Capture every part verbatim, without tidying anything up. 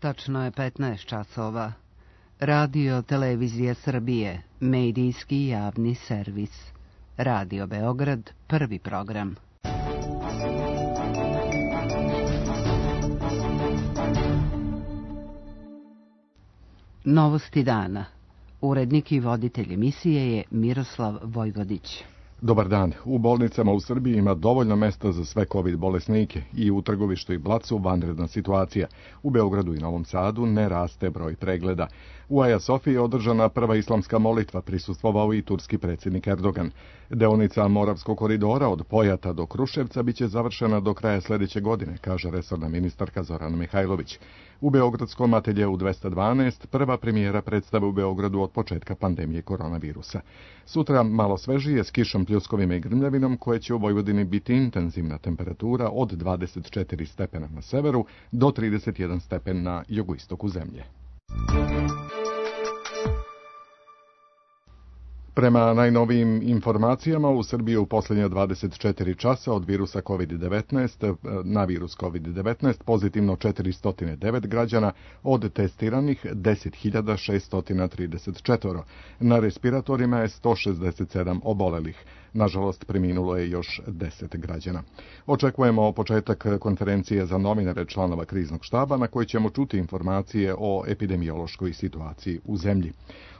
Tačno je petnaest časova. Radio Televizija Srbije, medijski javni servis. Radio Beograd, prvi program. Novosti dana. Urednik i voditelj emisije je Miroslav Vojvodić. Dobar dan. U bolnicama u Srbiji ima dovoljno mesta za sve COVID bolesnike i u Trgovištu i Blacu vanredna situacija. U Beogradu i Novom Sadu ne raste broj pregleda. U Aja Sofiji je održana prva islamska molitva, prisustvovao i turski predsjednik Erdogan. Deonica Moravskog koridora od Pojata do Kruševca biće završena do kraja sljedeće godine, kaže resorna ministarka Zorana Mihajlović. U beogradskom ateljeu dvesta dvanaest prva premijera predstave u Beogradu od početka pandemije koronavirusa. Sutra malo svežije s kišom, pljuskovima i grmljavinom, koje će u Vojvodini biti intenzivna temperatura od dvadeset četiri stepena na severu do trideset jedan stepen na jugoistoku zemlje. Prema najnovijim informacijama, u Srbiji u posljednje dvadeset četiri časa od virusa COVID devetnaest na virus COVID devetnaest pozitivno četiristo devet građana, od testiranih deset hiljada šeststo trideset četiri. Na respiratorima je sto šezdeset sedam obolelih. Nažalost, preminulo je još deset građana. Očekujemo početak konferencije za novinare članova kriznog štaba na kojoj ćemo čuti informacije o epidemiološkoj situaciji u zemlji.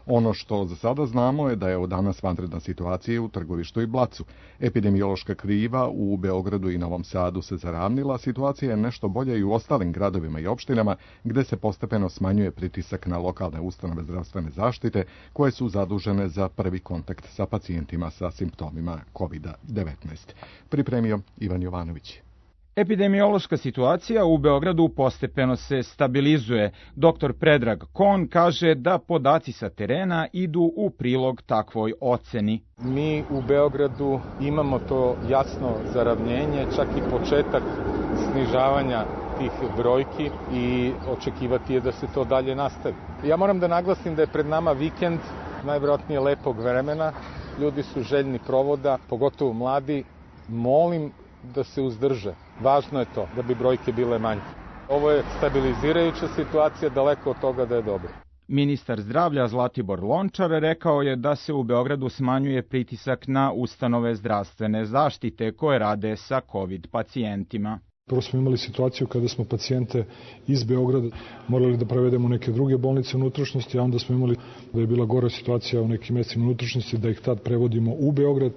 Ono što za sada znamo je da je od danas vanredna situacija u Trgovištu i Blacu. Epidemiološka kriva u Beogradu i Novom Sadu se zaravnila, situacija je nešto bolja i u ostalim gradovima i opštinama gde se postepeno smanjuje pritisak na lokalne ustanove zdravstvene zaštite koje su zadužene za prvi kontakt sa pacijentima sa simptomima COVID devetnaest. Pripremio Ivan Jovanović. Epidemiološka situacija u Beogradu postepeno se stabilizuje. Doktor Predrag Kon kaže da podaci sa terena idu u prilog takvoj oceni. Mi u Beogradu imamo to jasno zaravnjenje, čak i početak snižavanja tih brojki i očekivati je da se to dalje nastavi. Ja moram da naglasim da je pred nama vikend, najvjerojatnije lepog vremena. Ljudi su željni provoda, pogotovo mladi. Molim da se uzdrže. Važno je to, da bi brojke bile manje. Ovo je stabilizirajuća situacija, daleko od toga da je dobro. Ministar zdravlja Zlatibor Lončar rekao je da se u Beogradu smanjuje pritisak na ustanove zdravstvene zaštite koje rade sa COVID pacijentima. Prvo smo imali situaciju kada smo pacijente iz Beograda morali da prevedemo u neke druge bolnice unutrašnjosti, a onda smo imali da je bila gora situacija u nekim mestima unutrašnjosti, da ih tad prevodimo u Beograd.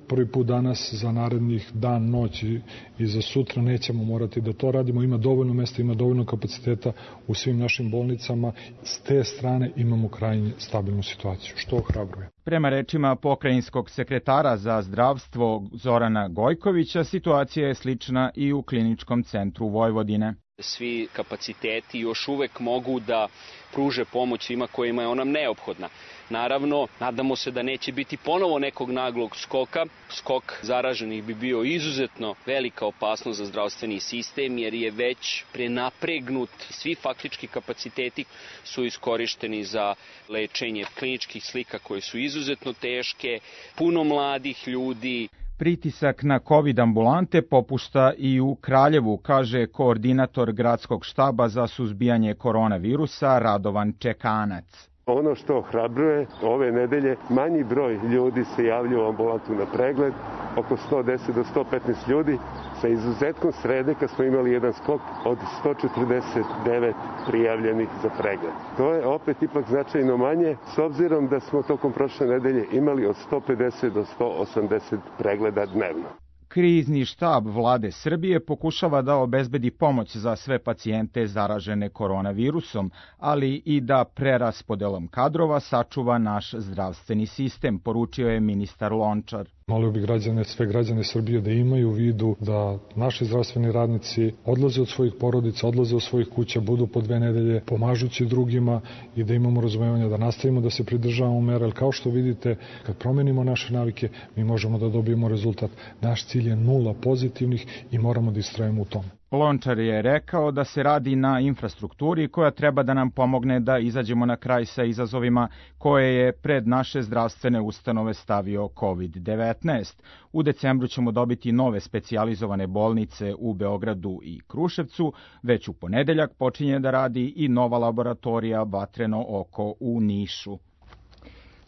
Prvi put danas za narednih dan, noć i za sutra nećemo morati da to radimo. Ima dovoljno mesta, ima dovoljno kapaciteta u svim našim bolnicama. S te strane imamo krajnje stabilnu situaciju, što ohrabruje. Prema rečima pokrajinskog sekretara za zdravstvo Zorana Gojkovića, situacija je slična i u Kliničkom centru Vojvodine. Svi kapaciteti još uvek mogu da pruže pomoć svima kojima je ona neophodna. Naravno, nadamo se da neće biti ponovo nekog naglog skoka. Skok zaraženih bi bio izuzetno velika opasnost za zdravstveni sistem, jer je već prenapregnut. Svi faktički kapaciteti su iskorišteni za lečenje kliničkih slika koje su izuzetno teške, puno mladih ljudi. Pritisak na COVID ambulante popušta i u Kraljevu, kaže koordinator gradskog štaba za suzbijanje koronavirusa Radovan Čekanac. Ono što ohrabruje, ove nedelje manji broj ljudi se javlja u ambulantu na pregled, oko sto deset do sto petnaest ljudi, sa izuzetkom srede kad smo imali jedan skok od sto četrdeset devet prijavljenih za pregled. To je opet ipak značajno manje, s obzirom da smo tokom prošle nedelje imali od sto pedeset do sto osamdeset pregleda dnevno. Krizni štab vlade Srbije pokušava da obezbedi pomoć za sve pacijente zaražene koronavirusom, ali i da preraspodelom kadrova sačuva naš zdravstveni sistem, poručio je ministar Lončar. Molio bih građane, sve građane Srbije da imaju u vidu da naši zdravstveni radnici odlaze od svojih porodica, odlaze od svojih kuća, budu po dve nedelje pomažući drugima i da imamo razumevanja da nastavimo da se pridržavamo mera. Jer kao što vidite, kad promenimo naše navike, mi možemo da dobijemo rezultat. Naš cilj je nula pozitivnih i moramo da istrajemo u tome. Lončar je rekao da se radi na infrastrukturi koja treba da nam pomogne da izađemo na kraj sa izazovima koje je pred naše zdravstvene ustanove stavio kovid devetnaest. U decembru ćemo dobiti nove specijalizovane bolnice u Beogradu i Kruševcu. Već u ponedeljak počinje da radi i nova laboratorija Vatreno oko u Nišu.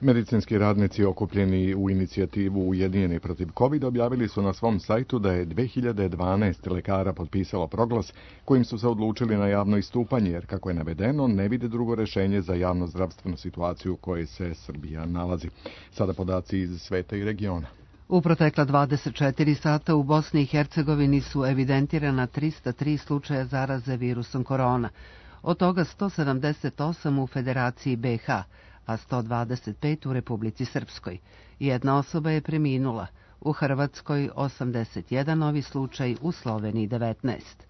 Medicinski radnici okupljeni u inicijativu Ujedinjeni protiv kovida objavili su na svom sajtu da je dve hiljade dvanaest lekara potpisalo proglas kojim su se odlučili na javno istupanje, jer kako je navedeno, ne vide drugo rešenje za javno-zdravstvenu situaciju u kojoj se Srbija nalazi. Sada podaci iz sveta i regiona. U protekla dvadeset četiri sata u Bosni i Hercegovini su evidentirana trista tri slučaja zaraze virusom korona, od toga sto sedamdeset osam u Federaciji B H, a sto dvadeset pet u Republici Srpskoj. Jedna osoba je preminula, u Hrvatskoj osamdeset jedan novi slučaj, u Sloveniji devetnaest.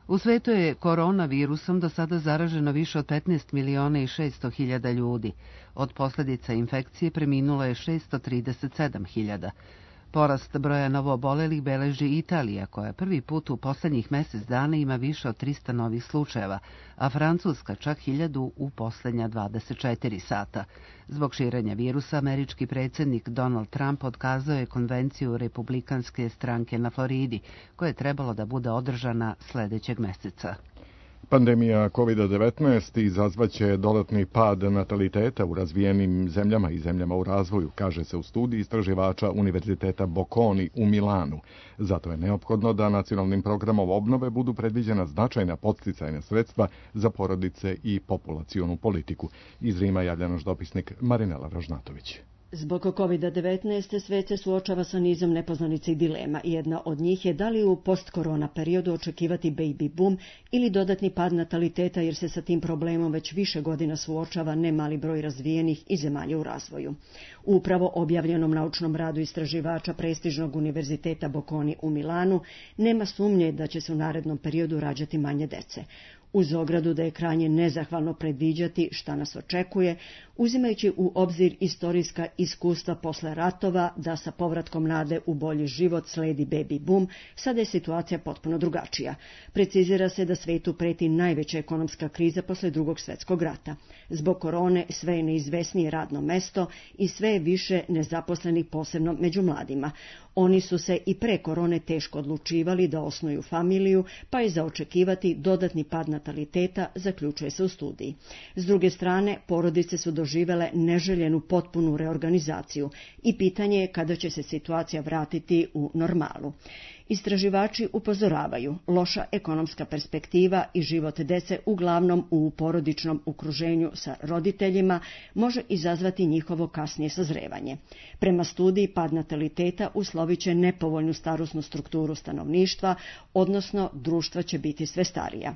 U svetu je koronavirusom do sada zaraženo više od petnaest miliona i šesto hiljada ljudi. Od posljedica infekcije preminulo je šesto trideset sedam hiljada. Porast broja novoobolelih beleži Italija, koja prvi put u posljednjih mjesec dana ima više od trista novih slučajeva, a Francuska čak hiljadu u posljednja dvadeset četiri sata. Zbog širenja virusa, američki predsjednik Donald Trump otkazao je konvenciju republikanske stranke na Floridi, koja je trebalo da bude održana sljedećeg mjeseca. Pandemija kovid devetnaest izazvaće dodatni pad nataliteta u razvijenim zemljama i zemljama u razvoju, kaže se u studiji istraživača Univerziteta Bocconi u Milanu. Zato je neophodno da nacionalnim programom obnove budu predviđena značajna podsticajna sredstva za porodice i populacionu politiku. Iz Rima javlja naš dopisnik Marinela Ražnatović. Zbog kovid devetnaest svet se suočava sa nizom nepoznanica i dilema. Jedna od njih je da li u post-korona periodu očekivati baby boom ili dodatni pad nataliteta, jer se sa tim problemom već više godina suočava nemali broj razvijenih i zemalja u razvoju. U upravo objavljenom naučnom radu istraživača prestižnog Univerziteta Bocconi u Milanu nema sumnje da će se u narednom periodu rađati manje dece. Uz ogradu da je krajnje nezahvalno predviđati šta nas očekuje, uzimajući u obzir istorijska iskustva posle ratova da sa povratkom nade u bolji život sledi baby boom, sada je situacija potpuno drugačija. Precizira se da svetu preti najveća ekonomska kriza posle drugog svjetskog rata. Zbog korone sve je neizvesnije radno mesto i sve je više nezaposlenih, posebno među mladima. Oni su se i pre korone teško odlučivali da osnuju familiju, pa je za očekivati dodatni pad nataliteta, zaključuje se u studiji. S druge strane, porodice su doživele neželjenu potpunu reorganizaciju i pitanje je kada će se situacija vratiti u normalu. Istraživači upozoravaju, loša ekonomska perspektiva i život dece uglavnom u porodičnom okruženju sa roditeljima može izazvati njihovo kasnije sazrevanje. Prema studiji, pad nataliteta uslovit će nepovoljnu starosnu strukturu stanovništva, odnosno društva će biti sve starija.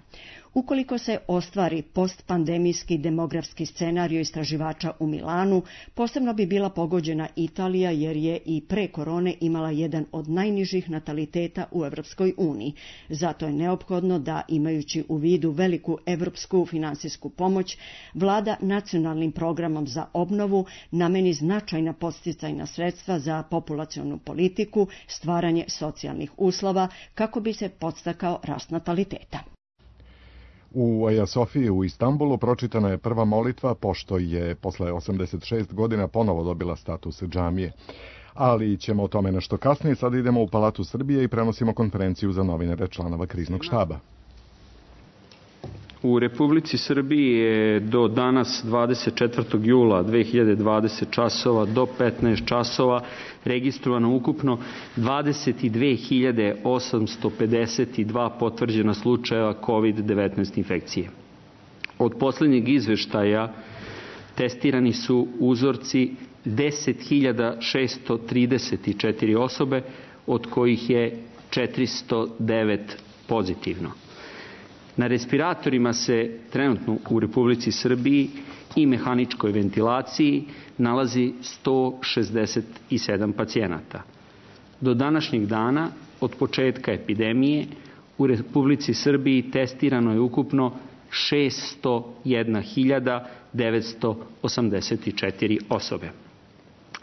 Ukoliko se ostvari postpandemijski demografski scenario istraživača u Milanu, posebno bi bila pogođena Italija, jer je i pre korone imala jedan od najnižih nataliteta u Evropskoj uniji. Zato je neophodno da, imajući u vidu veliku evropsku finansijsku pomoć, vlada nacionalnim programom za obnovu nameni značajna podsticajna sredstva za populacionu politiku, stvaranje socijalnih uslova kako bi se podstakao rast nataliteta. U Aja Sofiji u Istanbulu pročitana je prva molitva, pošto je posle osamdeset šest godina ponovo dobila status džamije. Ali ćemo o tome nešto kasnije. Sada idemo u Palatu Srbije i prenosimo konferenciju za novinare članova kriznog štaba. U Republici Srbiji je do danas dvadeset četvrtog jula dve hiljade dvadeset časova do petnaest časova registrovano ukupno dvadeset dve hiljade osamsto pedeset dva potvrđena slučajeva kovid devetnaest infekcije. Od posljednjeg izveštaja testirani su uzorci deset hiljada šesto trideset četiri osobe, od kojih je četiristo devet pozitivno. Na respiratorima se trenutno u Republici Srbiji i mehaničkoj ventilaciji nalazi sto šezdeset sedam pacijenata. Do današnjeg dana, od početka epidemije, u Republici Srbiji testirano je ukupno šesto jedna hiljada devetsto osamdeset četiri osobe.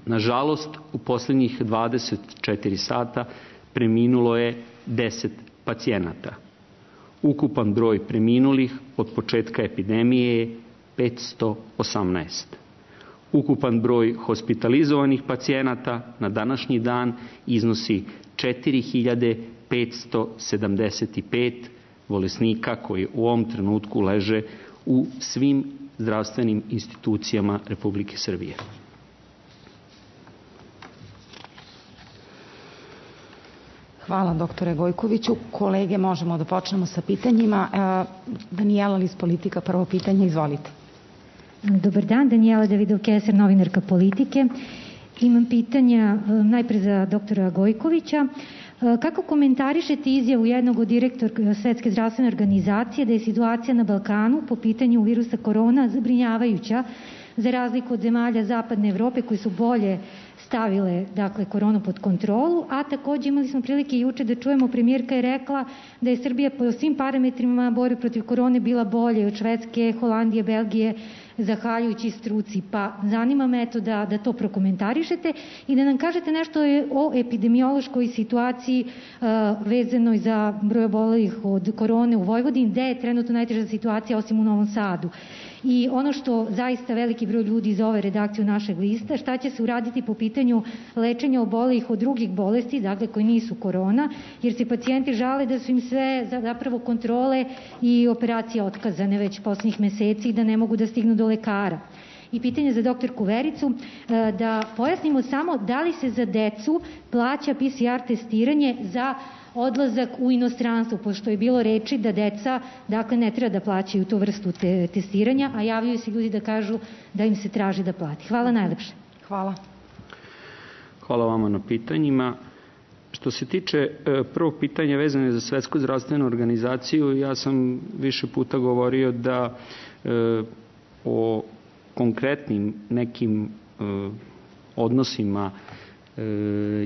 Nažalost, u posljednjih dvadeset četiri sata preminulo je deset pacijenata. Ukupan broj preminulih od početka epidemije je petsto osamnaest. Ukupan broj hospitalizovanih pacijenata na današnji dan iznosi četiri hiljade petsto sedamdeset pet bolesnika koji u ovom trenutku leže u svim zdravstvenim institucijama Republike Srbije. Hvala, doktore Gojkoviću. Kolege, možemo da počnemo sa pitanjima. Danijela Lis, Politika, prvo pitanje, izvolite. Dobar dan, Danijela Davidov-Keser, novinarka Politike. Imam pitanja najpre za doktora Gojkovića. Kako komentarišete izjavu jednog od direktora Svetske zdravstvene organizacije da je situacija na Balkanu po pitanju virusa korona zabrinjavajuća, za razliku od zemalja Zapadne Evrope koji su bolje stavile dakle, koronu pod kontrolu, a takođe imali smo prilike juče da čujemo, premijerka je rekla da je Srbija po svim parametrima borbe protiv korone bila bolje od Švedske, Holandije, Belgije, zahvaljujući struci. Pa zanima me eto da, da to prokomentarišete i da nam kažete nešto o epidemiološkoj situaciji uh, vezanoj za broj obolelih od korone u Vojvodini, gde je trenutno najteža situacija osim u Novom Sadu. I ono što zaista veliki broj ljudi iz ove redakcije našeg lista, šta će se uraditi po pitanju lečenja obolelih od drugih bolesti, dakle koji nisu korona, jer se pacijenti žale da su im sve zapravo kontrole i operacije otkazane već poslednjih meseci i da ne mogu da stignu do lekara. I pitanje za doktorku Vericu, da pojasnimo samo da li se za decu plaća P C R testiranje za odlazak u inostranstvo, pošto je bilo reči da deca dakle, ne treba da plaćaju tu vrstu te, testiranja, a javljaju se ljudi da kažu da im se traži da plati. Hvala najlepše. Hvala. Hvala vama na pitanjima. Što se tiče prvog pitanja vezane za Svetsku zdravstvenu organizaciju, ja sam više puta govorio da e, o konkretnim nekim e, odnosima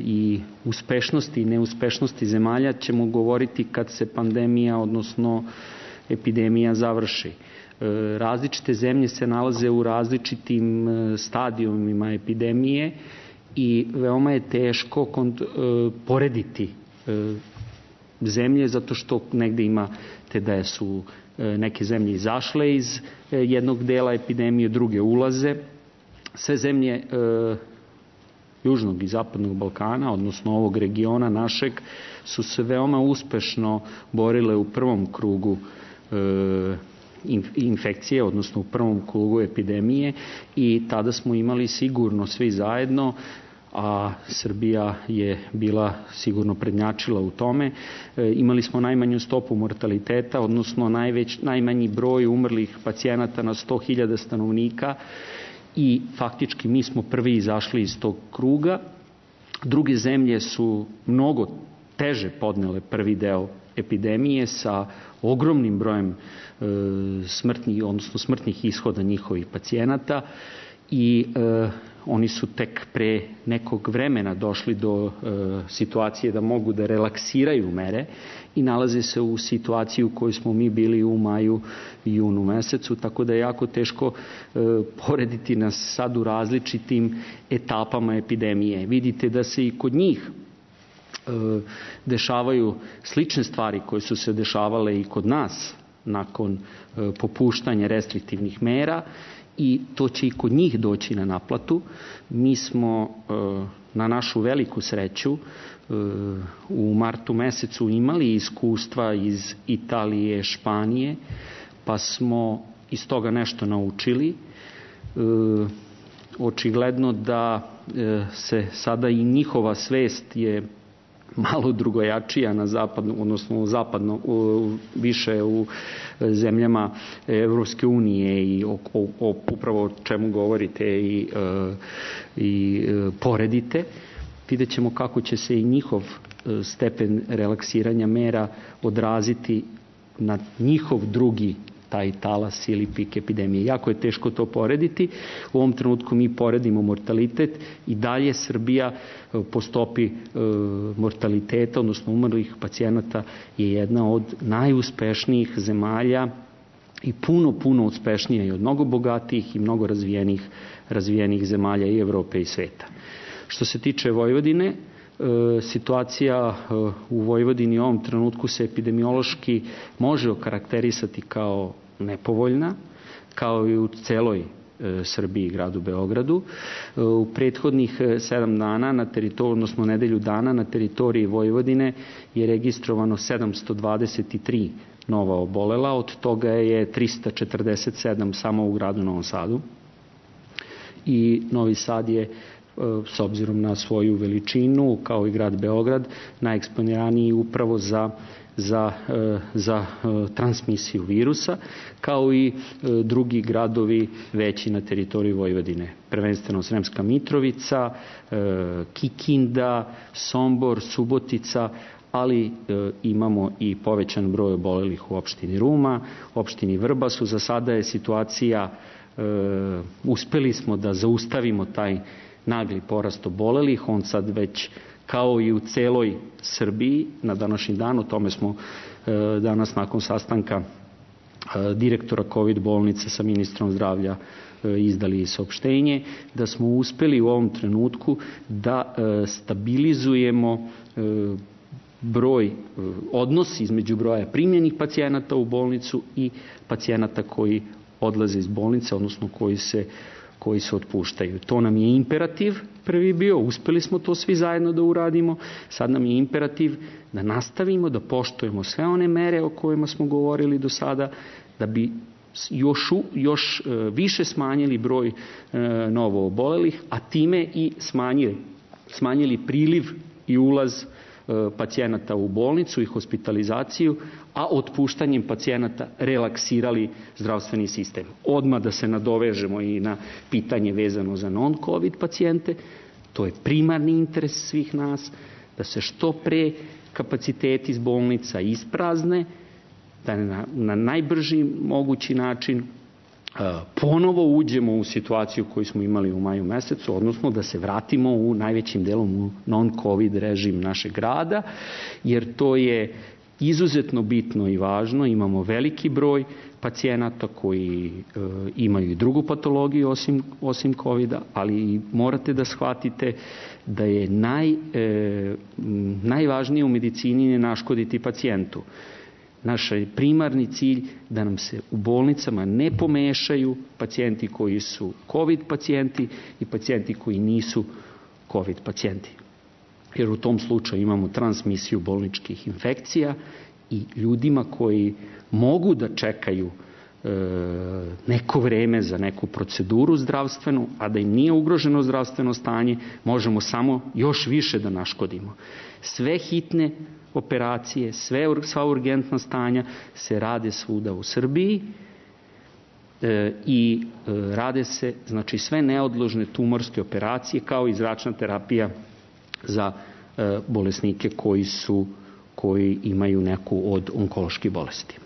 i uspešnosti i neuspešnosti zemalja ćemo govoriti kad se pandemija, odnosno epidemija završi. Različite zemlje se nalaze u različitim stadijumima epidemije i veoma je teško porediti zemlje zato što negde imate da su neke zemlje izašle iz jednog dela epidemije, druge ulaze. Sve zemlje Južnog i Zapadnog Balkana, odnosno ovog regiona našeg, su se veoma uspešno borile u prvom krugu e, infekcije, odnosno u prvom krugu epidemije i tada smo imali sigurno svi zajedno, a Srbija je bila sigurno prednjačila u tome. E, imali smo najmanju stopu mortaliteta, odnosno najveć, najmanji broj umrlih pacijenata na sto hiljada stanovnika, i faktički mi smo prvi izašli iz tog kruga. Druge zemlje su mnogo teže podnele prvi deo epidemije sa ogromnim brojem e, smrtnih, odnosno smrtnih ishoda njihovih pacijenata i e, oni su tek pre nekog vremena došli do e, situacije da mogu da relaksiraju mere i nalaze se u situaciji u kojoj smo mi bili u maju i junu mesecu, tako da je jako teško e, porediti nas sad u različitim etapama epidemije. Vidite da se i kod njih e, dešavaju slične stvari koje su se dešavale i kod nas nakon e, popuštanja restriktivnih mera i to će i kod njih doći na naplatu. Mi smo e, na našu veliku sreću u martu mesecu imali iskustva iz Italije, Španije, pa smo iz toga nešto naučili. E, očigledno da e, se sada i njihova svest je malo drugojačija na zapadno, odnosno zapadno, u, više u zemljama Evropske unije i o, o, o upravo o čemu govorite i, e, i e, poredite. Vidjet ćemo kako će se i njihov stepen relaksiranja mera odraziti na njihov drugi taj talas ili pik epidemije. Jako je teško to porediti. U ovom trenutku mi poredimo mortalitet i dalje Srbija po stopi mortaliteta, odnosno umrlih pacijenata, je jedna od najuspešnijih zemalja i puno, puno uspešnija i od mnogo bogatijih i mnogo razvijenih, razvijenih zemalja i Evrope i sveta. Što se tiče Vojvodine, situacija u Vojvodini u ovom trenutku se epidemiološki može okarakterisati kao nepovoljna, kao i u celoj Srbiji i gradu Beogradu. U prethodnih sedam dana, na teritoriju, odnosno nedelju dana, na teritoriji Vojvodine je registrovano sedamsto dvadeset tri nova obolela, od toga je trista četrdeset sedam samo u gradu Novom Sadu. I Novi Sad je, s obzirom na svoju veličinu, kao i grad Beograd, najeksponiraniji upravo za za, za transmisiju virusa, kao i drugi gradovi veći na teritoriji Vojvodine. Prvenstveno Sremska Mitrovica, Kikinda, Sombor, Subotica, ali imamo i povećan broj obolelih u opštini Ruma, opštini Vrbasu. Za sada je situacija, uspeli smo da zaustavimo taj nagli porast obolelih, on sad već kao i u celoj Srbiji na današnji dan, o tome smo e, danas nakon sastanka e, direktora COVID bolnice sa ministrom zdravlja e, izdali saopštenje, da smo uspeli u ovom trenutku da e, stabilizujemo e, broj, e, odnos između broja primljenih pacijenata u bolnicu i pacijenata koji odlaze iz bolnice, odnosno koji se koji se otpuštaju. To nam je imperativ prvi bio, uspeli smo to svi zajedno da uradimo, sad nam je imperativ da nastavimo, da poštujemo sve one mere o kojima smo govorili do sada, da bi još, još više smanjili broj novo obolelih, a time i smanjili, smanjili priliv i ulaz pacijenata u bolnicu i hospitalizaciju, a otpuštanjem pacijenata relaksirali zdravstveni sistem. Odmah da se nadovežemo i na pitanje vezano za non-COVID pacijente, to je primarni interes svih nas, da se što pre kapaciteti iz bolnica isprazne, da na, na najbrži mogući način ponovo uđemo u situaciju koju smo imali u maju mesecu, odnosno da se vratimo u najvećim delom u non-COVID režim našeg grada, jer to je izuzetno bitno i važno. Imamo veliki broj pacijenata koji e, imaju i drugu patologiju osim, osim COVID-a, ali morate da shvatite da je naj, e, najvažnije u medicini ne naškoditi pacijentu. Naš primarni cilj da nam se u bolnicama ne pomešaju pacijenti koji su COVID pacijenti i pacijenti koji nisu COVID pacijenti. Jer u tom slučaju imamo transmisiju bolničkih infekcija i ljudima koji mogu da čekaju e, neko vreme za neku proceduru zdravstvenu, a da im nije ugroženo zdravstveno stanje, možemo samo još više da naškodimo. Sve hitne operacije, sve, sva urgentna stanja se rade svuda u Srbiji e, i e, rade se, znači, sve neodložne tumorske operacije kao i zračna terapija za e, bolesnike koji su koji imaju neku od onkoloških bolesti.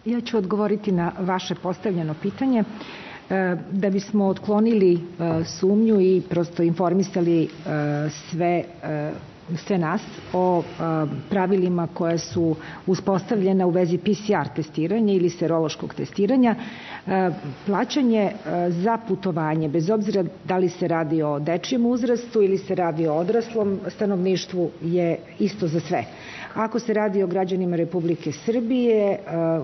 Ja ću odgovoriti na vaše postavljeno pitanje. Da bismo otklonili sumnju i prosto informisali sve, sve nas o pravilima koja su uspostavljena u vezi P C R testiranja ili serološkog testiranja, plaćanje za putovanje, bez obzira da li se radi o dečijem uzrastu ili se radi o odraslom stanovništvu, je isto za sve. Ako se radi o građanima Republike Srbije,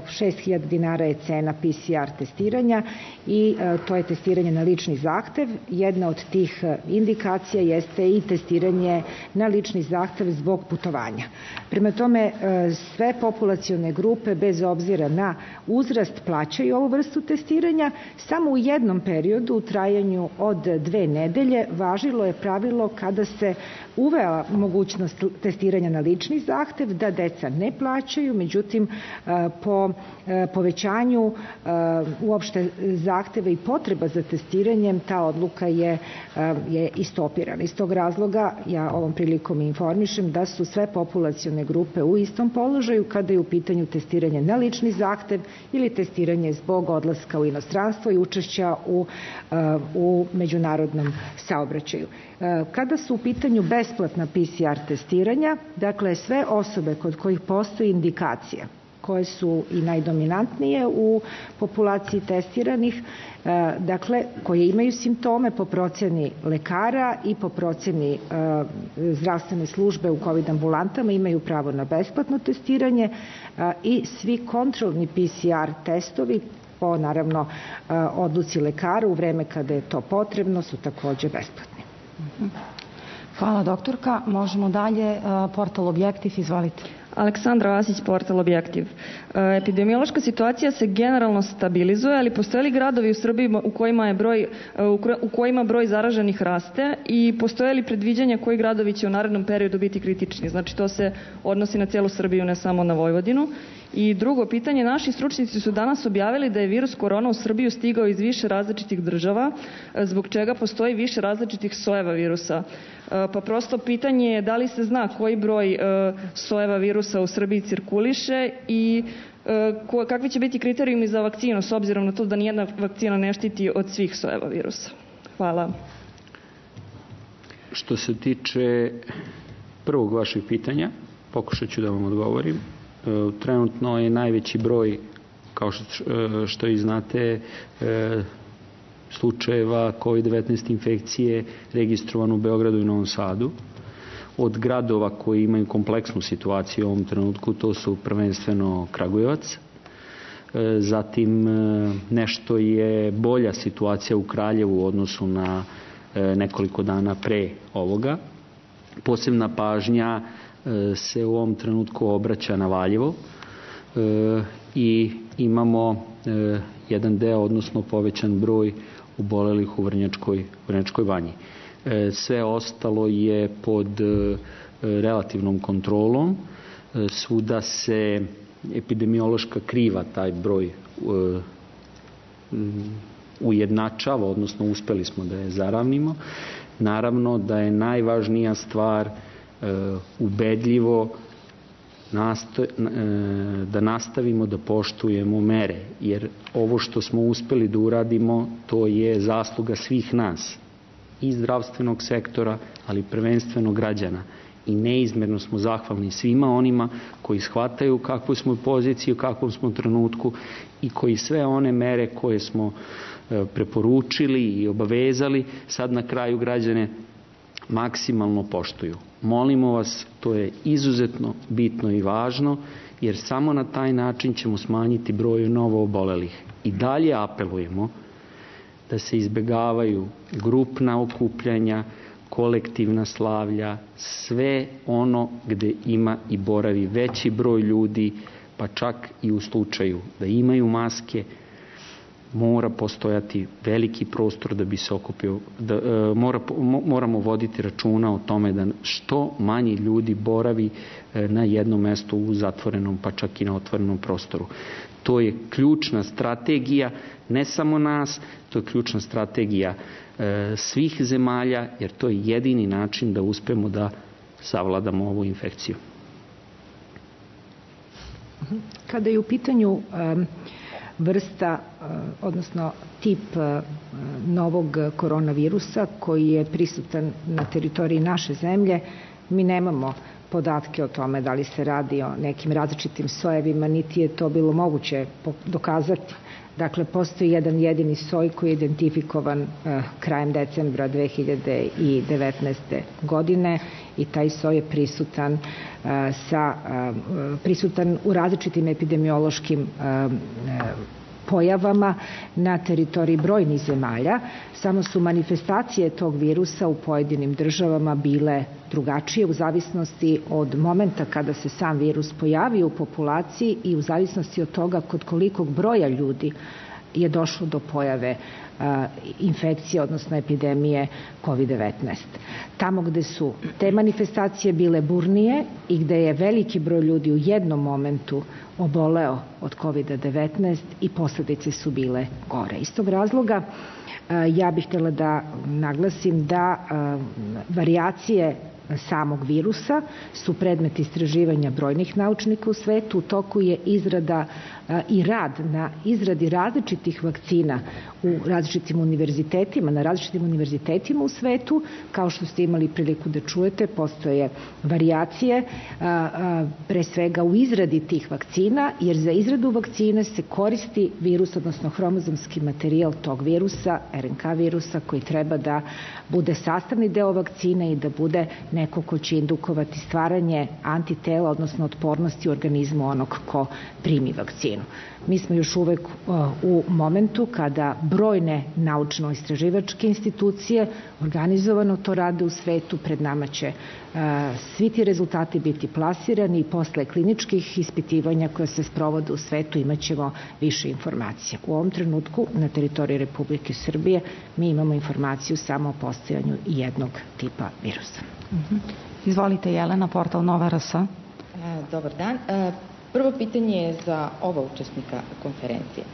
šest hiljada dinara je cena P C R testiranja i to je testiranje na lični zahtev. Jedna od tih indikacija jeste i testiranje na lični zahtev zbog putovanja. Prema tome, sve populacione grupe, bez obzira na uzrast, plaćaju ovu vrstu testiranja. Samo u jednom periodu, u trajanju od dve nedelje, važilo je pravilo kada se uvela mogućnost testiranja na lični zahtev, da deca ne plaćaju, međutim po povećanju uopšte zahteva i potreba za testiranjem ta odluka je, je istopirana. Iz tog razloga ja ovom prilikom informišem da su sve populacione grupe u istom položaju kada je u pitanju testiranje na lični zahtev ili testiranje zbog odlaska u inostranstvo i učešća u, u međunarodnom saobraćaju. Kada su u pitanju besplatna P C R testiranja, dakle sve osobe kod kojih postoji indikacija koje su i najdominantnije u populaciji testiranih, dakle, koje imaju simptome po proceni lekara i po proceni zdravstvene službe u COVID ambulantama imaju pravo na besplatno testiranje i svi kontrolni P C R testovi po, naravno, odluci lekara u vreme kada je to potrebno su takođe besplatni. Hvala, doktorka. Možemo dalje. Portal Objektiv, izvolite. Aleksandra Vasić, portal Objektiv. Epidemiološka situacija se generalno stabilizuje, ali postoje li gradovi u Srbiji u kojima, je broj, u kojima broj zaraženih raste i postoje li predviđanja koji gradovi će u narednom periodu biti kritični? Znači, to se odnosi na cijelu Srbiju, ne samo na Vojvodinu. I drugo pitanje, naši stručnjaci su danas objavili da je virus korona u Srbiju stigao iz više različitih država, zbog čega postoji više različitih sojeva virusa. Pa prosto pitanje je da li se zna koji broj sojeva virusa u Srbiji cirkuliše i kakvi će biti kriterijumi za vakcinu, s obzirom na to da nijedna vakcina ne štiti od svih sojeva virusa. Hvala. Što se tiče prvog vašeg pitanja, pokušat ću da vam odgovorim. Trenutno je najveći broj, kao što i znate, slučajeva COVID devetnaest infekcije registrovan u Beogradu i Novom Sadu. Od gradova koji imaju kompleksnu situaciju u ovom trenutku, to su prvenstveno Kragujevac. Zatim nešto je bolja situacija u Kraljevu u odnosu na nekoliko dana pre ovoga. Posebna pažnja se u ovom trenutku obraća na Valjevo i imamo jedan deo, odnosno povećan broj obolelih u Vrnjačkoj, Vrnjačkoj banji. Sve ostalo je pod relativnom kontrolom. Svuda se epidemiološka kriva taj broj ujednačava, odnosno uspeli smo da je zaravnimo. Naravno da je najvažnija stvar ubedljivo da nastavimo da poštujemo mere, jer ovo što smo uspeli da uradimo, to je zasluga svih nas, i zdravstvenog sektora, ali prvenstveno građana. I neizmerno smo zahvalni svima onima koji shvataju kakvu smo poziciju, u kakvom smo trenutku i koji sve one mere koje smo preporučili i obavezali, sad na kraju građane maksimalno poštuju. Molimo vas, to je izuzetno bitno i važno, jer samo na taj način ćemo smanjiti broj novo obolelih. I dalje apelujemo da se izbegavaju grupna okupljanja, kolektivna slavlja, sve ono gde ima i boravi veći broj ljudi, pa čak i u slučaju da imaju maske, mora postojati veliki prostor da bi se okupio, da, e, mora, moramo voditi računa o tome da što manji ljudi boravi e, na jednom mestu u zatvorenom, pa čak i na otvorenom prostoru. To je ključna strategija, ne samo nas, to je ključna strategija e, svih zemalja, jer to je jedini način da uspemo da savladamo ovu infekciju. Kada je u pitanju um... vrsta, odnosno tip novog koronavirusa koji je prisutan na teritoriji naše zemlje, mi nemamo podatke o tome da li se radi o nekim različitim sojevima, niti je to bilo moguće dokazati. Dakle, postoji jedan jedini soj koji je identifikovan krajem decembra dve hiljade devetnaeste. godine i taj soj je prisutan, sa, prisutan u različitim epidemiološkim pojavama na teritoriji brojnih zemalja, samo su manifestacije tog virusa u pojedinim državama bile drugačije u zavisnosti od momenta kada se sam virus pojavio u populaciji i u zavisnosti od toga kod kolikog broja ljudi je došlo do pojave infekcije, odnosno epidemije COVID devetnaest. Tamo gde su te manifestacije bile burnije i gde je veliki broj ljudi u jednom momentu oboleo od COVID devetnaest i posledice su bile gore. Iz tog razloga ja bih htjela da naglasim da varijacije samog virusa su predmet istraživanja brojnih naučnika u svetu. U toku je izrada i rad na izradi različitih vakcina u različitim univerzitetima, na različitim univerzitetima u svetu. Kao što ste imali priliku da čujete, postoje varijacije pre svega u izradi tih vakcina, jer za izradu vakcine se koristi virus, odnosno hromozomski materijal tog virusa, er en ka virusa, koji treba da bude sastavni deo vakcine i da bude neko ko će indukovati stvaranje antitela, odnosno otpornosti u organizmu onog ko primi vakcinu. Mi smo još uvek u momentu kada brojne naučno-istraživačke institucije organizovano to rade u svetu. Pred nama će svi ti rezultati biti plasirani i posle kliničkih ispitivanja koja se sprovode u svetu imat ćemo više informacija. U ovom trenutku na teritoriji Republike Srbije mi imamo informaciju samo o postojanju jednog tipa virusa. Izvolite, Jelena, portal Nova er es. Dobar dan. Prvo pitanje je za oba učesnika konferencije.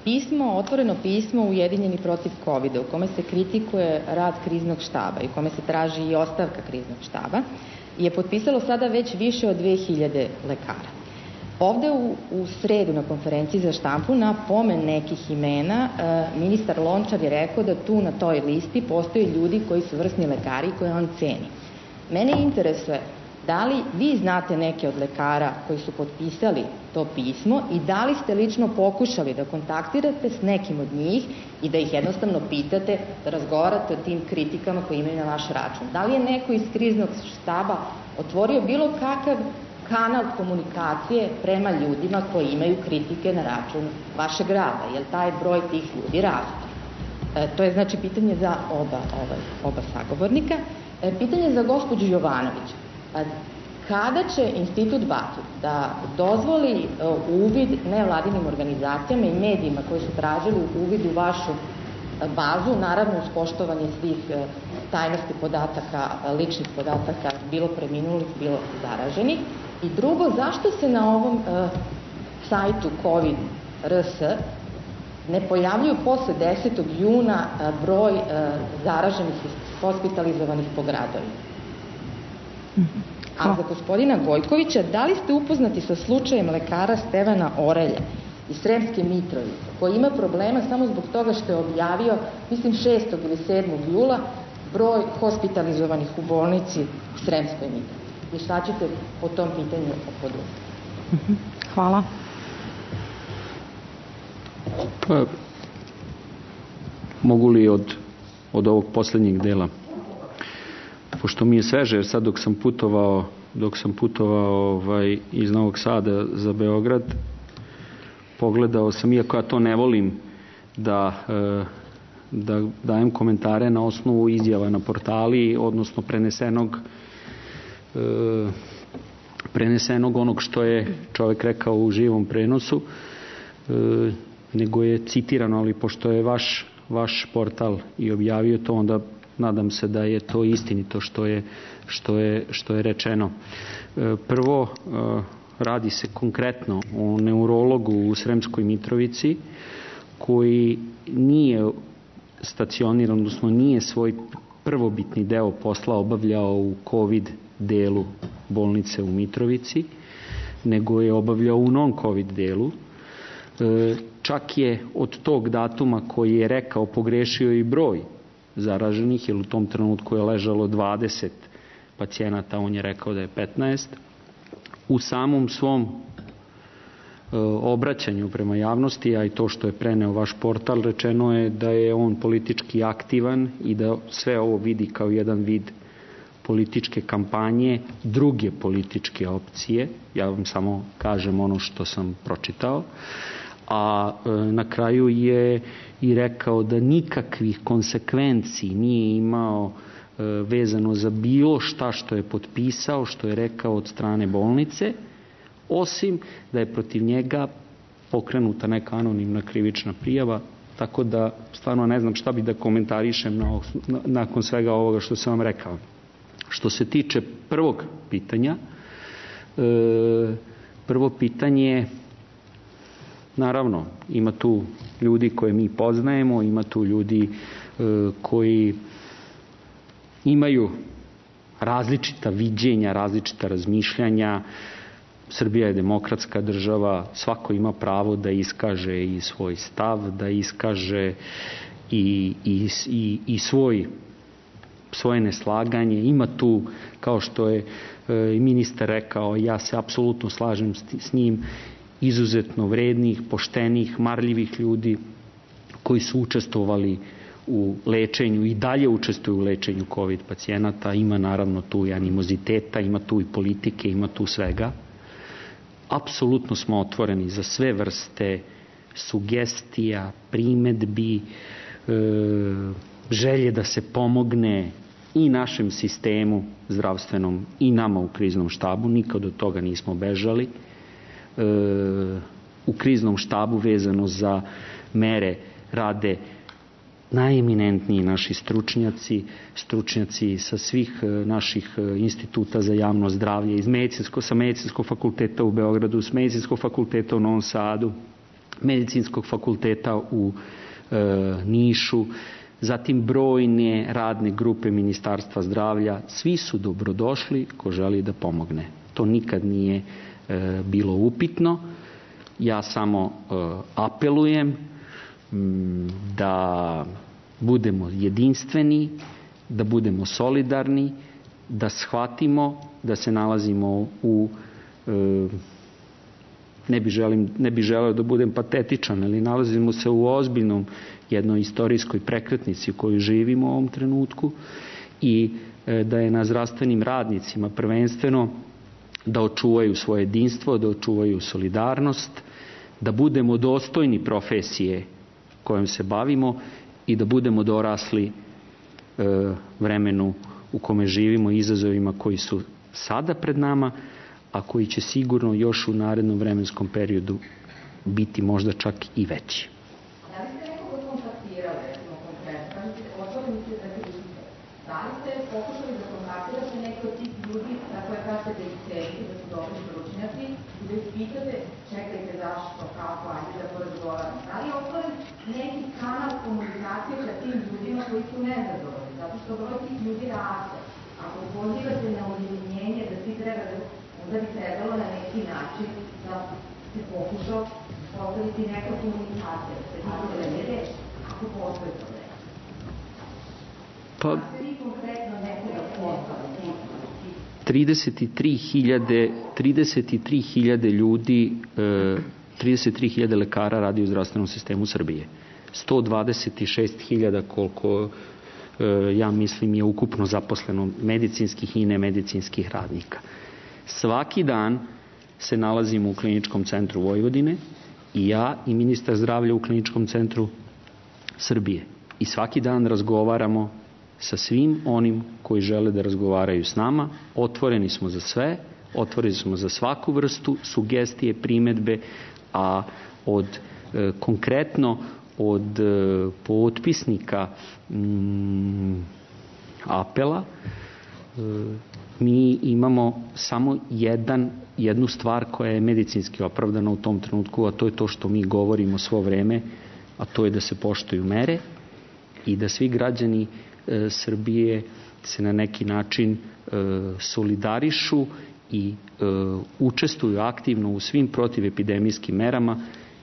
Pismo, otvoreno pismo Ujedinjeni protiv kovida, u kome se kritikuje rad kriznog štaba i u kome se traži i ostavka kriznog štaba, je potpisalo sada već više od dve hiljade lekara. Ovde u, u sredu na konferenciji za štampu na pomen nekih imena ministar Lončar je rekao da tu na toj listi postoje ljudi koji su vrsni lekari i koje on ceni. Mene interesuje da li vi znate neke od lekara koji su potpisali to pismo i da li ste lično pokušali da kontaktirate s nekim od njih i da ih jednostavno pitate, da razgovarate o tim kritikama koje imaju na vaš račun. Da li je neko iz kriznog štaba otvorio bilo kakav kanal komunikacije prema ljudima koji imaju kritike na račun vašeg rada, jer taj broj tih ljudi raste. E, to je znači pitanje za oba, ovaj, oba sagovornika. E, pitanje za gospođu Jovanović. Kada će Institut Batut da dozvoli uvid nevladinim organizacijama i medijima koji su tražili uvid u vašu bazu, naravno uz poštovanje svih tajnosti podataka, ličnih podataka, bilo preminulih, bilo zaraženih? I drugo, zašto se na ovom sajtu COVID R S ne pojavljuju posle desetog juna broj zaraženih i hospitalizovanih po gradovima? A za gospodina Gojkovića, da li ste upoznati sa slučajem lekara Stevana Orelja iz Sremske Mitrovice, koji ima problema samo zbog toga što je objavio, mislim šestog ili sedmog jula, broj hospitalizovanih u bolnici u Sremskoj Mitrovici? I šta ćete po tom pitanju poduzeti? Hvala. Pa, mogu li od, od ovog poslednjeg dela? Pošto mi je sveže, jer sad dok sam putovao, dok sam putovao ovaj, iz Novog Sada za Beograd, pogledao sam, iako ja to ne volim da, da dajem komentare na osnovu izjava na portali, odnosno prenesenog, prenesenog onog što je čovek rekao u živom prenosu, nego je citirano, ali pošto je vaš, vaš portal i objavio to, onda nadam se da je to istinito što je, što je, što je rečeno. Prvo, radi se konkretno o neurologu u Sremskoj Mitrovici koji nije stacioniran, odnosno nije svoj prvobitni deo posla obavljao u COVID delu bolnice u Mitrovici, nego je obavljao u non-COVID delu. Čak je od tog datuma koji je rekao pogrešio i broj zaraženih, jer u tom trenutku je ležalo dvadeset pacijenata, on je rekao da je petnaest. U samom svom e, obraćanju prema javnosti, a i to što je preneo vaš portal, rečeno je da je on politički aktivan i da sve ovo vidi kao jedan vid političke kampanje druge političke opcije. Ja vam samo kažem ono što sam pročitao. A e, na kraju je i rekao da nikakvih konsekvenciji nije imao e, vezano za bilo šta što je potpisao, što je rekao od strane bolnice, osim da je protiv njega pokrenuta neka anonimna krivična prijava, tako da stvarno ne znam šta bi da komentarišem na, na, nakon svega ovoga što sam vam rekao. Što se tiče prvog pitanja, e, prvo pitanje, naravno, ima tu ljudi koje mi poznajemo, ima tu ljudi e, koji imaju različita viđenja, različita razmišljanja. Srbija je demokratska država, svako ima pravo da iskaže i svoj stav, da iskaže i, i, i, i svoj, svoje neslaganje. Ima tu, kao što je i ministar rekao, ja se apsolutno slažem s njim, izuzetno vrednih, poštenih, marljivih ljudi koji su učestvovali u lečenju i dalje učestvuju u lečenju COVID pacijenata. Ima naravno tu i animoziteta, ima tu i politike, ima tu svega. Apsolutno smo otvoreni za sve vrste sugestija, primedbi, e, želje da se pomogne i našem sistemu zdravstvenom i nama u kriznom štabu. Nikad od toga nismo bežali. E, u kriznom štabu vezano za mere rade najeminentniji naši stručnjaci, stručnjaci sa svih naših instituta za javno zdravlje, iz medicinsko, sa medicinskog fakulteta u Beogradu, s medicinskog fakulteta u Novom Sadu, medicinskog fakulteta u e, Nišu, zatim brojne radne grupe Ministarstva zdravlja. Svi su dobrodošli ko želi da pomogne. To nikad nije e, bilo upitno. Ja samo e, apelujem da budemo jedinstveni, da budemo solidarni, da shvatimo da se nalazimo u, ne bi, želim, ne bi želeo da budem patetičan, ali nalazimo se u ozbiljnom jednoj istorijskoj prekretnici u kojoj živimo u ovom trenutku i da je na zdravstvenim radnicima prvenstveno da očuvaju svoje jedinstvo, da očuvaju solidarnost, da budemo dostojni profesije kojom se bavimo i da budemo dorasli e, vremenu u kome živimo, izazovima koji su sada pred nama, a koji će sigurno još u narednom vremenskom periodu biti možda čak i veći. Da li ste nekoga kontaktirali, recimo konkretno, otvorili ste za krize, da li ste pokušali da kontaktirate neke od tih ljudi na koje kažete da ih cenite, da su dobri stručnjaci i da ih pitate, čekajte zašto, kako, ajde da porazgovaramo. Da li je otvoren neki kanal komunikacije sa tim ljudima koji su nezadovoljni, zato što broj tih ljudi raste. Ako pozivate na ujedinjenje da svi treba da, onda bi trebalo na neki način da se pokuša postaviti neka komunikacija, da se tako da ne reći, ako postoje to reći. Pa, da se vi konkretno nekoga postaviti? trideset tri hiljade ljudi, trideset tri hiljade lekara radi u zdravstvenom sistemu Srbije. sto dvadeset šest hiljada koliko ja mislim je ukupno zaposleno medicinskih i nemedicinskih radnika. Svaki dan se nalazimo u Kliničkom centru Vojvodine i ja i ministar zdravlja u Kliničkom centru Srbije. I svaki dan razgovaramo sa svim onim koji žele da razgovaraju s nama. Otvoreni smo za sve, otvoreni smo za svaku vrstu sugestije, primedbe, a od e, konkretno od e, potpisnika m, apela e, mi imamo samo jedan, jednu stvar koja je medicinski opravdana u tom trenutku, a to je to što mi govorimo svo vreme, a to je da se poštuju mere i da svi građani e, Srbije se na neki način e, solidarišu i e, učestvuju aktivno u svim protivepidemijskim merama,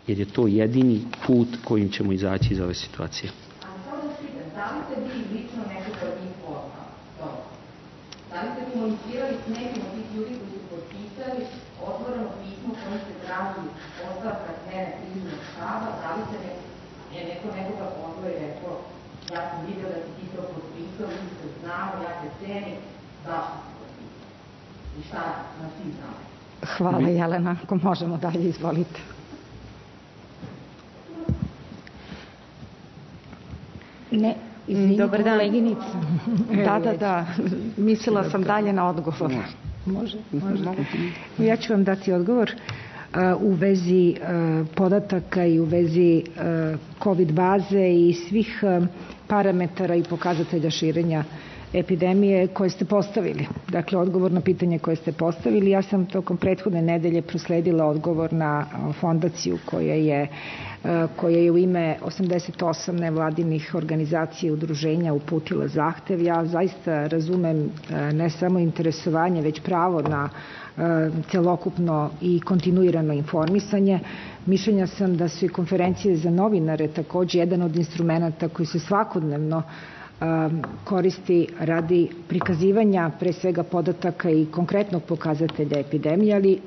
jer je to jedini put kojim ćemo izaći iz ove situacije. A samo da pitam, da li ste vi lično nekoga od njih poznali? Da li ste komunicirali s nekim od tih ljudi koji su potpisali otvoreno pismo kojim se traži ostavka smene kriznog štaba? Da li se ne, je neko nekoga pozvao i rekao, ja sam vidio da si ti to potpisao, mi se znamo, ja te cenim, zašto se potpisao? I šta na svim znamo? Hvala Jelena, ako možemo dalje, izvolite. Ne, izvini, dobar dan, koleginica. Da, da, da, mislila sam dalje na odgovor. Može, može. Ja ću vam dati odgovor u vezi podataka i u vezi COVID baze i svih parametara i pokazatelja širenja epidemije koje ste postavili. Dakle, odgovor na pitanje koje ste postavili. Ja sam tokom prethodne nedelje prosledila odgovor na fondaciju koja je, koja je u ime osamdeset osam nevladinih organizacija i udruženja uputila zahtev. Ja zaista razumem ne samo interesovanje, već pravo na celokupno i kontinuirano informisanje. Mišljenja sam da su i konferencije za novinare takođe jedan od instrumenta koji se svakodnevno koristi radi prikazivanja pre svega podataka i konkretnog pokazatelja epidemije, ali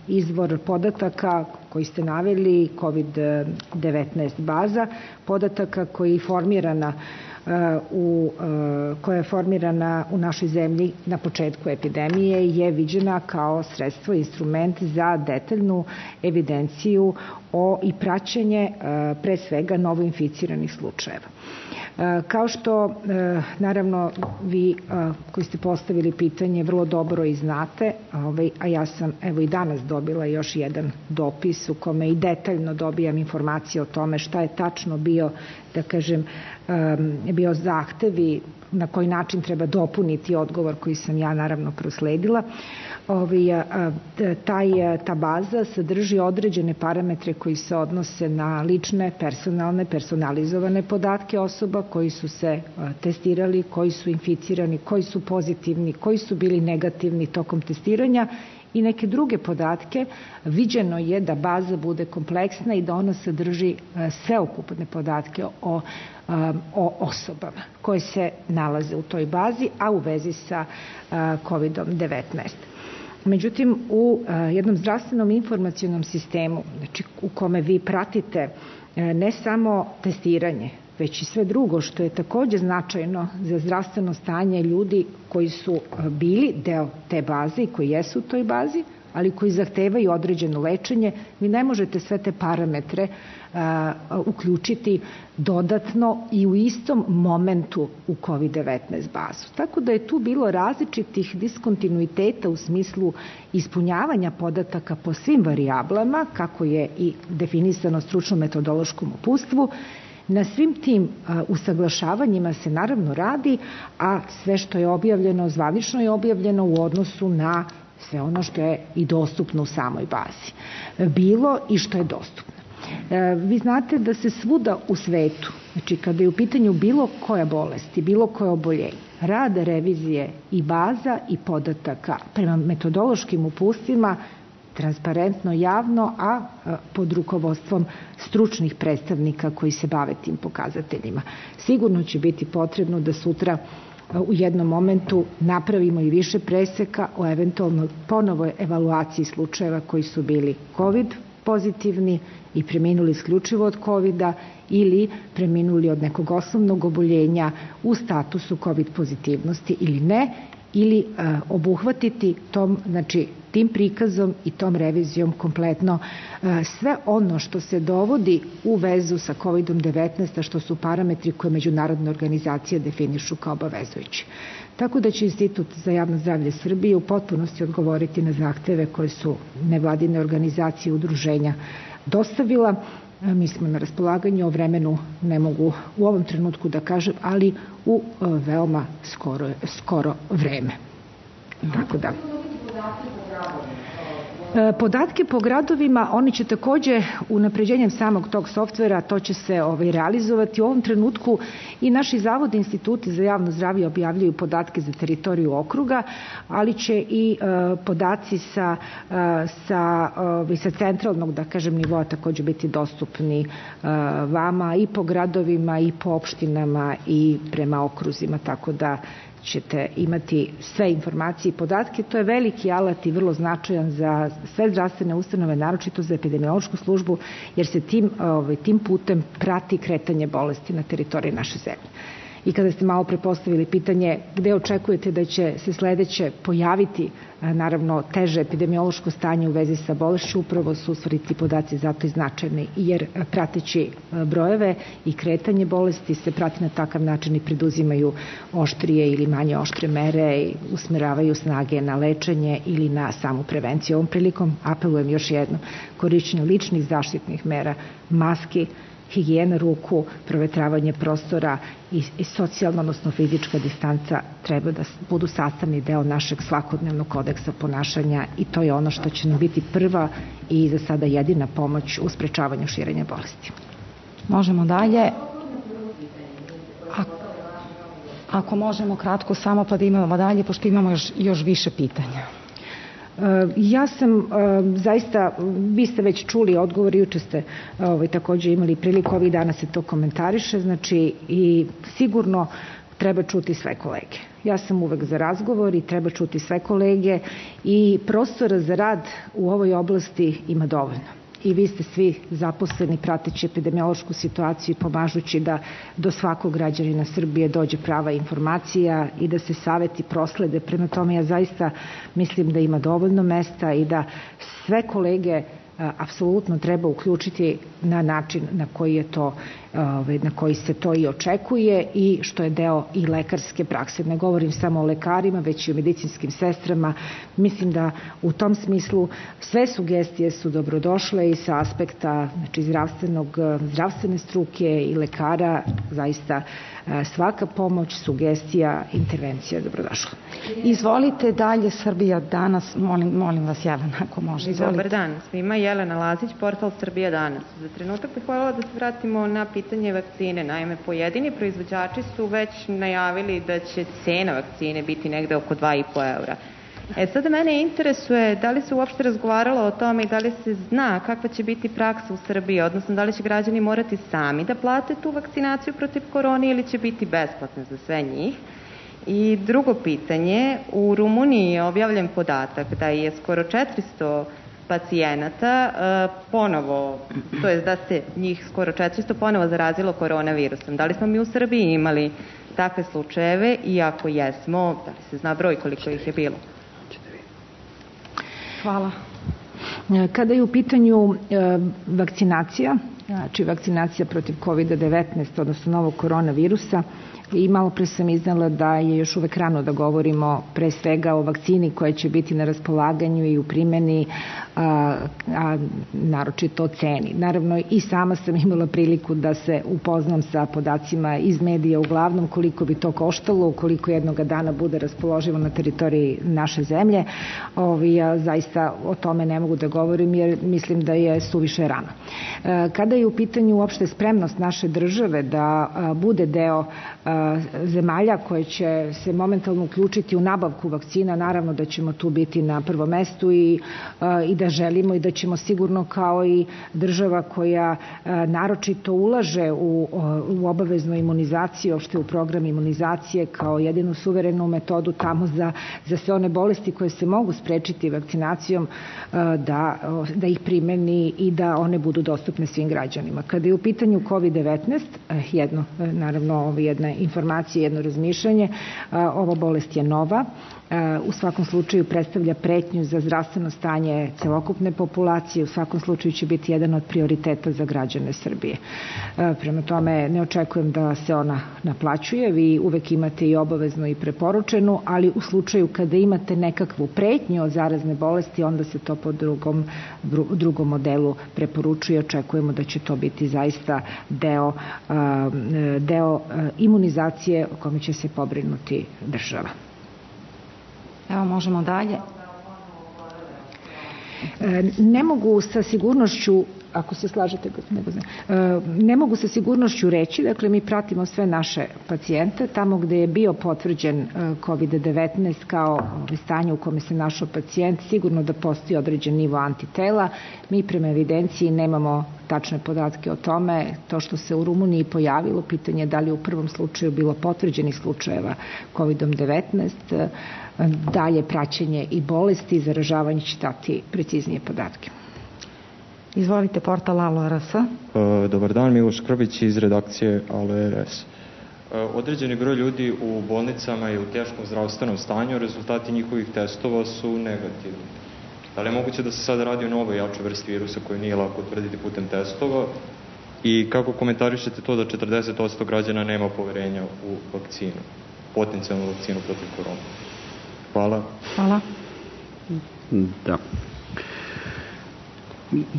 izvor podataka koji ste naveli, kovid devetnaest baza, podataka koji je formirana u, koja je formirana u našoj zemlji na početku epidemije je viđena kao sredstvo, instrument za detaljnu evidenciju o i praćenje pre svega novoinficiranih slučajeva. Kao što, naravno, vi koji ste postavili pitanje vrlo dobro i znate, a ja sam evo i danas dobila još jedan dopis u kome i detaljno dobijam informacije o tome šta je tačno bio, da kažem, bio zahtev i na koji način treba dopuniti odgovor koji sam ja naravno prosledila. Taj, ta baza sadrži određene parametre koji se odnose na lične, personalne, personalizovane podatke osoba koji su se testirali, koji su inficirani, koji su pozitivni, koji su bili negativni tokom testiranja i neke druge podatke. Viđeno je da baza bude kompleksna i da ona sadrži sveukupne podatke o, o osobama koje se nalaze u toj bazi, a u vezi sa kovid devetnaest. Međutim, u jednom zdravstvenom informacionom sistemu, znači u kome vi pratite ne samo testiranje, već i sve drugo što je takođe značajno za zdravstveno stanje ljudi koji su bili deo te baze i koji jesu u toj bazi, ali koji zahtevaju određeno lečenje, vi ne možete sve te parametre a, uključiti dodatno i u istom momentu u kovid devetnaest bazu. Tako da je tu bilo različitih diskontinuiteta u smislu ispunjavanja podataka po svim varijablama, kako je i definisano stručno-metodološkom uputstvu. Na svim tim a, usaglašavanjima se naravno radi, a sve što je objavljeno, zvanično je objavljeno u odnosu na sve ono što je i dostupno u samoj bazi. Bilo i što je dostupno. E, vi znate da se svuda u svetu, znači kada je u pitanju bilo koja bolest i bilo koje oboljenje, rad revizije i baza i podataka prema metodološkim uputstvima transparentno, javno, a pod rukovodstvom stručnih predstavnika koji se bave tim pokazateljima. Sigurno će biti potrebno da sutra u jednom momentu napravimo i više preseka o eventualno ponovoj evaluaciji slučajeva koji su bili COVID pozitivni i preminuli isključivo od kovida ili preminuli od nekog osnovnog oboljenja u statusu COVID pozitivnosti ili ne, ili uh, obuhvatiti tom, znači, tim prikazom i tom revizijom kompletno uh, sve ono što se dovodi u vezu sa kovid devetnaest, a što su parametri koje međunarodne organizacije definišu kao obavezujući. Tako da će Institut za javno zdravlje Srbije u potpunosti odgovoriti na zahteve koje su nevladine organizacije i udruženja dostavila. Mi smo na raspolaganju, o vremenu ne mogu u ovom trenutku da kažem, ali u veoma skoro, skoro vreme. Tako da. Podatke po gradovima, oni će takođe unapređenjem samog tog softvera, to će se ovaj, realizovati. U ovom trenutku i naši zavodi, instituti za javno zdravlje objavljaju podatke za teritoriju okruga, ali će i uh, podaci sa, uh, sa, uh, sa centralnog, da kažem, nivoa takođe biti dostupni uh, vama i po gradovima i po opštinama i prema okruzima, tako da ćete imati sve informacije i podatke. To je veliki alat i vrlo značajan za sve zdravstvene ustanove, naročito za epidemiološku službu, jer se tim, ovaj, tim putem prati kretanje bolesti na teritoriji naše zemlje. I kada ste malo prepostavili pitanje gde očekujete da će se sledeće pojaviti naravno teže epidemiološko stanje u vezi sa bolešću, upravo su stvariti podaci zato i značajni, jer prateći brojeve i kretanje bolesti se prati na takav način i preduzimaju oštrije ili manje oštre mere i usmeravaju snage na lečenje ili na samu prevenciju. Ovom prilikom apelujem još jedno, korišćenje ličnih zaštitnih mera, maski, higijena ruku, provetravanje prostora i, i socijalna, odnosno fizička distanca treba da budu sastavni deo našeg svakodnevnog kodeksa ponašanja i to je ono što će nam biti prva i za sada jedina pomoć u sprečavanju širenja bolesti. Možemo dalje. Ako možemo kratko samo pa da imamo dalje, pošto imamo još, još više pitanja. Ja sam zaista, vi ste već čuli odgovor, juče ste ovaj, takođe imali priliku, ovih dana se to komentariše, znači i sigurno treba čuti sve kolege. Ja sam uvek za razgovor i treba čuti sve kolege i prostora za rad u ovoj oblasti ima dovoljno. I vi ste svi zaposleni prateći epidemiološku situaciju i pomažući da do svakog građanina Srbije dođe prava informacija i da se saveti proslede. Prema tome ja zaista mislim da ima dovoljno mesta i da sve kolege apsolutno treba uključiti na način na koji je to, na koji se to i očekuje i što je deo i lekarske prakse. Ne govorim samo o lekarima, već i o medicinskim sestrama. Mislim da u tom smislu sve sugestije su dobrodošle i sa aspekta znači, zdravstvenog, zdravstvene struke i lekara zaista svaka pomoć, sugestija, intervencija je dobrodošla. Izvolite dalje, Srbija danas. Molim, molim vas, Jelena, ako može. Izvolite. Dobar dan svima. Jelena Lazić, portal Srbija danas. Za trenutak bih voljela da se vratimo na pitanje vakcine. Naime, pojedini proizvođači su već najavili da će cena vakcine biti negde oko dva i po eura. E sada mene interesuje da li se uopšte razgovaralo o tome i da li se zna kakva će biti praksa u Srbiji, odnosno da li će građani morati sami da plate tu vakcinaciju protiv korone ili će biti besplatna za sve njih. I drugo pitanje, u Rumuniji je objavljen podatak da je skoro četiristo pacijenata ponovo, to je da se njih skoro četiristo ponovo zarazilo koronavirusom. Da li smo mi u Srbiji imali takve slučajeve i ako jesmo, da li se zna broj koliko ih je bilo? Hvala. Kada je u pitanju vakcinacija, znači vakcinacija protiv kovid devetnaest, odnosno novog koronavirusa, i malo pre sam iznala da je još uvek rano da govorimo pre svega o vakcini koja će biti na raspolaganju i u primjeni, a, a naročito o ceni. Naravno i sama sam imala priliku da se upoznam sa podacima iz medija, uglavnom koliko bi to koštalo, koliko jednoga dana bude raspoloživo na teritoriji naše zemlje. Ovi, ja zaista o tome ne mogu da govorim jer mislim da je suviše rano. Kada je u pitanju uopšte spremnost naše države da bude deo zemalja koje će se momentalno uključiti u nabavku vakcina, naravno da ćemo tu biti na prvom mestu i, i da želimo i da ćemo sigurno kao i država koja naročito ulaže u, u obaveznu imunizaciju, uopšte u program imunizacije kao jedinu suverenu metodu tamo za, za sve one bolesti koje se mogu sprečiti vakcinacijom da, da ih primeni i da one budu dostupne svim građanima. Kada je u pitanju kovid devetnaest, jedno, naravno jedna informacija, jedno razmišljanje, ova bolest je nova, u svakom slučaju predstavlja pretnju za zdravstveno stanje celokupne populacije, u svakom slučaju će biti jedan od prioriteta za građane Srbije. Prema tome ne očekujem da se ona naplaćuje, vi uvek imate i obavezno i preporučenu, ali u slučaju kada imate nekakvu pretnju od zarazne bolesti, onda se to po drugom, drugom modelu preporučuje. Očekujemo da će to biti zaista deo, deo imunizacije o kome će se pobrinuti država. Evo, možemo dalje. Ne mogu sa sigurnošću, ako se slažete, ne mogu sa sigurnošću reći, dakle mi pratimo sve naše pacijente, tamo gde je bio potvrđen kovid devetnaest kao stanje u kome se našao pacijent, sigurno da postoji određen nivo antitela, mi prema evidenciji nemamo tačne podatke o tome, to što se u Rumuniji pojavilo, pitanje da li u prvom slučaju bilo potvrđenih slučajeva kovid devetnaest, dalje praćenje i bolesti i zaražavanje će dati preciznije podatke. Izvolite, portal Alo R S. Dobar dan, Miloš Krbić iz redakcije Alo R S. Određeni broj ljudi u bolnicama je u teškom zdravstvenom stanju, rezultati njihovih testova su negativni. Da li je moguće da se sada radi o novoj jačoj vrsti virusa koju nije lako utvrditi putem testova i kako komentarišete to da četrdeset posto građana nema poverenja u vakcinu, potencijalnu vakcinu protiv korona? Hvala. Hvala. Da.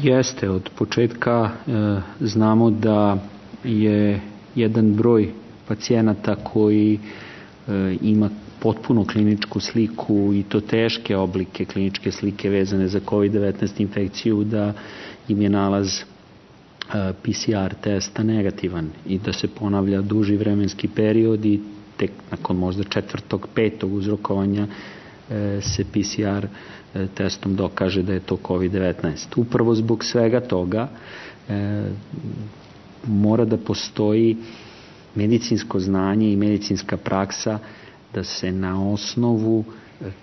Jeste, od početka e, znamo da je jedan broj pacijenata koji e, ima potpuno kliničku sliku i to teške oblike kliničke slike vezane za kovid devetnaest infekciju, da im je nalaz e, P C R testa negativan i da se ponavlja duži vremenski period i tek nakon možda četvrtog, petog uzrokovanja e, se P C R e, testom dokaže da je to kovid devetnaest. Upravo zbog svega toga e, mora da postoji medicinsko znanje i medicinska praksa da se na osnovu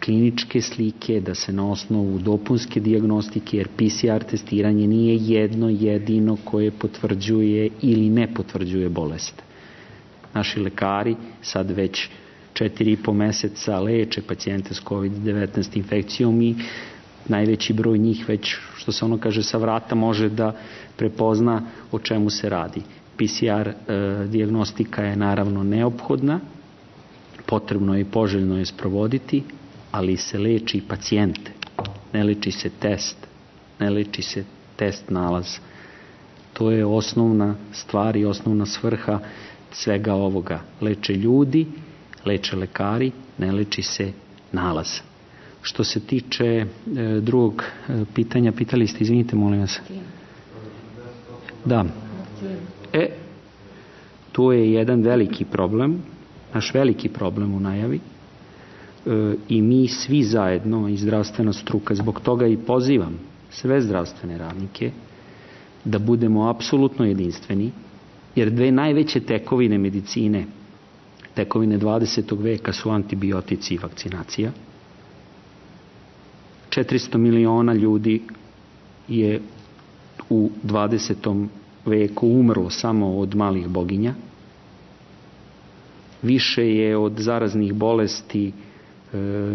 kliničke slike, da se na osnovu dopunske dijagnostike, jer P C R testiranje nije jedno jedino koje potvrđuje ili ne potvrđuje bolest. Naši lekari sad već četiri i po meseca leče pacijente s kovid devetnaest infekcijom i najveći broj njih već, što se ono kaže, sa vrata može da prepozna o čemu se radi. P C R e, dijagnostika je naravno neophodna, potrebno je i poželjno je sprovoditi, ali se leči pacijente, ne leči se test, ne leči se test nalaz. To je osnovna stvar i osnovna svrha svega ovoga. Leče ljudi, leče lekari, ne leči se nalaz. Što se tiče e, drugog e, pitanja, pitali ste, izvinite, molim vas. Da. E, to je jedan veliki problem, naš veliki problem u najavi e, i mi svi zajedno i zdravstvena struka, zbog toga i pozivam sve zdravstvene radnike da budemo apsolutno jedinstveni, jer dve najveće tekovine medicine, tekovine dvadesetog veka su antibiotici i vakcinacija. četiristo miliona ljudi je u dvadesetom veku umrlo samo od malih boginja. Više je od zaraznih bolesti e,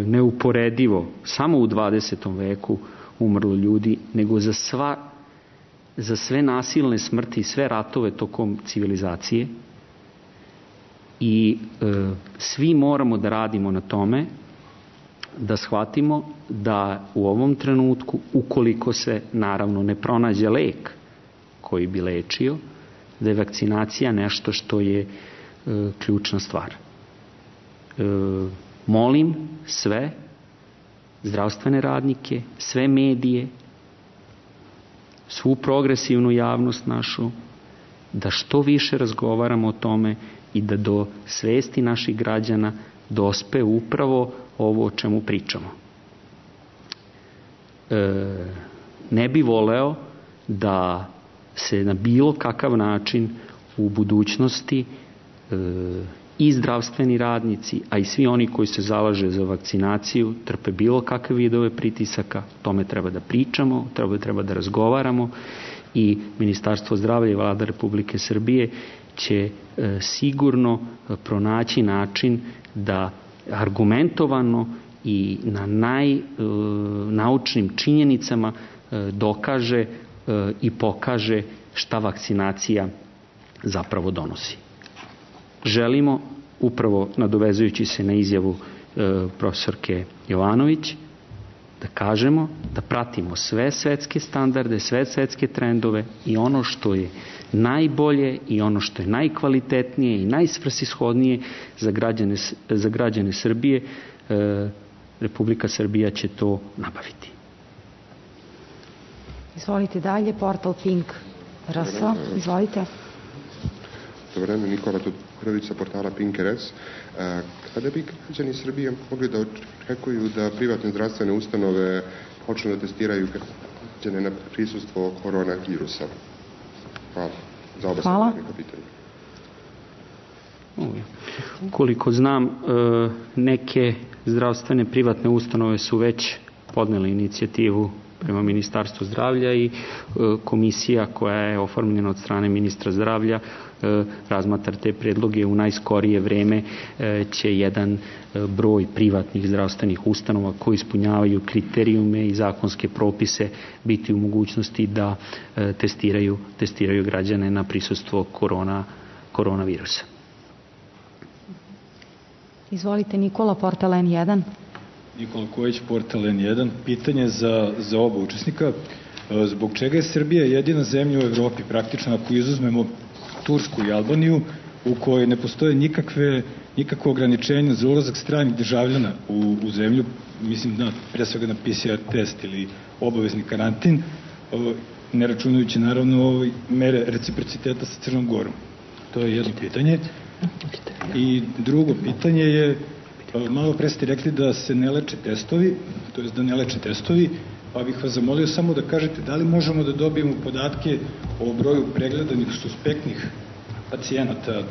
neuporedivo samo u dvadesetom veku umrlo ljudi nego za sva za sve nasilne smrti i sve ratove tokom civilizacije i e, svi moramo da radimo na tome da shvatimo da u ovom trenutku, ukoliko se naravno ne pronađe lek koji bi lečio, da je vakcinacija nešto što je e, ključna stvar. E, molim sve zdravstvene radnike, sve medije, svu progresivnu javnost našu, da što više razgovaramo o tome i da do svesti naših građana dospe upravo ovo o čemu pričamo. E, ne bi voleo da se na bilo kakav način u budućnosti e, i zdravstveni radnici, a i svi oni koji se zalaže za vakcinaciju, trpe bilo kakve vidove pritisaka. Tome treba da pričamo, treba, treba da razgovaramo i Ministarstvo zdravlja i Vlada Republike Srbije će e, sigurno pronaći način da argumentovano i na najnaučnim e, činjenicama e, dokaže e, i pokaže šta vakcinacija zapravo donosi. Želimo, upravo nadovezujući se na izjavu e, profesorke Jovanović, da kažemo da pratimo sve svetske standarde, sve svetske trendove i ono što je najbolje i ono što je najkvalitetnije i najsvrsishodnije za građane, za građane Srbije, e, Republika Srbija će to nabaviti. Izvolite dalje, portal Pink R S, izvolite. Dobro vreme, Nikola Tudorović sa portala Pink R S. Kada bi građani Srbije mogli da očekuju da privatne zdravstvene ustanove počnu da testiraju građane na prisustvo koronavirusa? Hvala. Za oba Hvala. Pitanje. Koliko znam, neke zdravstvene privatne ustanove su već podnele inicijativu prema Ministarstvu zdravlja i komisija koja je oformljena od strane ministra zdravlja razmatra te predloge. U najskorije vreme će jedan broj privatnih zdravstvenih ustanova koji ispunjavaju kriterijume i zakonske propise biti u mogućnosti da testiraju, testiraju građane na prisustvo korona, koronavirusa. Izvolite, Nikola, portal N jedan. Nikola Kojić, portal N jedan. Pitanje za, za oba učesnika. Zbog čega je Srbija jedina zemlja u Evropi, praktično ako izuzmemo Tursku i Albaniju, u kojoj ne postoje nikakve, nikakve ograničenja za ulazak stranih državljana u, u zemlju, mislim na, pre svega na P C R test ili obavezni karantin, ne računajući naravno mere reciprociteta sa Crnom Gorom. To je jedno pitanje. I drugo pitanje je, malo pre ste rekli da se ne leče testovi, to je da ne leče testovi, pa bih vas zamolio samo da kažete da li možemo da dobijemo podatke o broju pregledanih suspektnih pacijenata,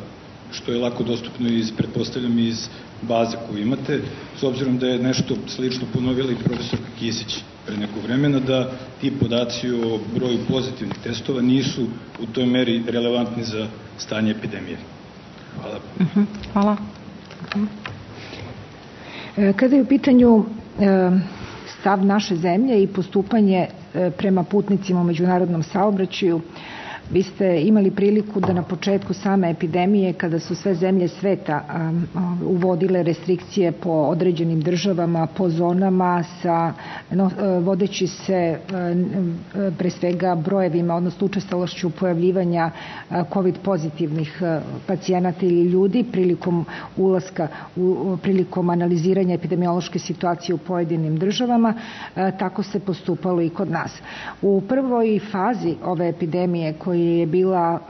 što je lako dostupno iz, pretpostavljam, iz baze koju imate, s obzirom da je nešto slično ponovila i profesorka Kisić pre nekog vremena, da ti podaci o broju pozitivnih testova nisu u toj meri relevantni za stanje epidemije. Hvala. Uh-huh. Hvala. Uh-huh. Kada je u pitanju stav naše zemlje i postupanje prema putnicima u međunarodnom saobraćaju, vi ste imali priliku da na početku same epidemije, kada su sve zemlje sveta um, uvodile restrikcije po određenim državama, po zonama, sa, no, vodeći se um, pre svega brojevima, odnosno učestalošću pojavljivanja uh, COVID pozitivnih uh, pacijenata ili ljudi prilikom ulaska, u, prilikom analiziranja epidemiološke situacije u pojedinim državama, uh, tako se postupalo i kod nas. U prvoj fazi ove epidemije koja je bila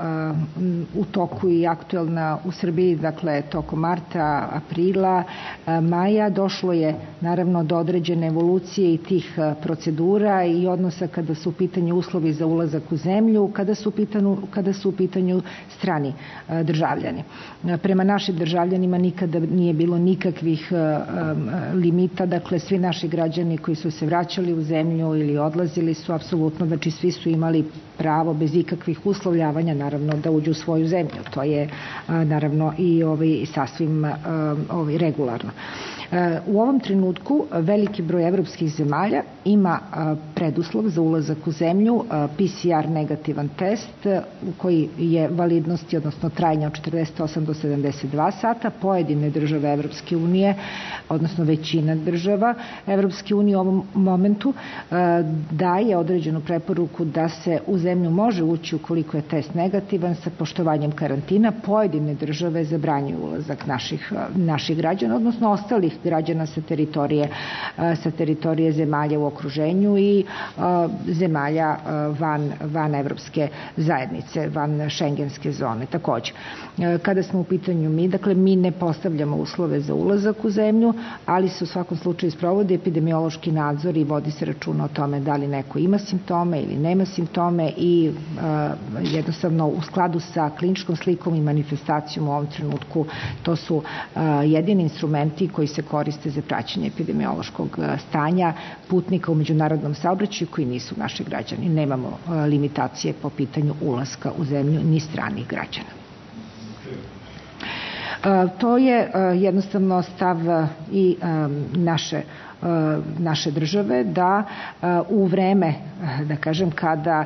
uh, u toku i aktuelna u Srbiji, dakle tokom marta, aprila, uh, maja, došlo je naravno do određene evolucije i tih uh, procedura i odnosa kada su u pitanju uslovi za ulazak u zemlju, kada su u pitanju, kada su u pitanju strani uh, državljani. Uh, prema našim državljanima nikada nije bilo nikakvih uh, um, limita, dakle svi naši građani koji su se vraćali u zemlju ili odlazili su apsolutno, znači svi su imali pravo bez ikakvih uslovljavanja naravno da uđu u svoju zemlju. To je a, naravno i ovaj, sasvim a, ovaj, regularno. U ovom trenutku veliki broj evropskih zemalja ima preduslov za ulazak u zemlju, P C R negativan test koji je validnosti, odnosno trajanja od četrdeset osam do sedamdeset dva sata. Pojedine države Evropske unije, odnosno većina država Evropske unije u ovom momentu daje određenu preporuku da se u zemlju može ući ukoliko je test negativan sa poštovanjem karantina. Pojedine države zabranjuju ulazak naših, naših građana, odnosno ostalih građana sa teritorije, sa teritorije zemalja u okruženju i zemalja van, van evropske zajednice, van šengenske zone takođe. Kada smo u pitanju mi, dakle mi ne postavljamo uslove za ulazak u zemlju, ali se u svakom slučaju sprovodi epidemiološki nadzor i vodi se računa o tome da li neko ima simptome ili nema simptome i uh, jednostavno u skladu sa kliničkom slikom i manifestacijom u ovom trenutku to su uh, jedini instrumenti koji se koriste za praćenje epidemiološkog stanja putnika u međunarodnom saobraćaju koji nisu naši građani. Nemamo uh, limitacije po pitanju ulaska u zemlju ni stranih građana. Uh, to je uh, jednostavno stav uh, i um, naše naše države da u vreme, da kažem, kada,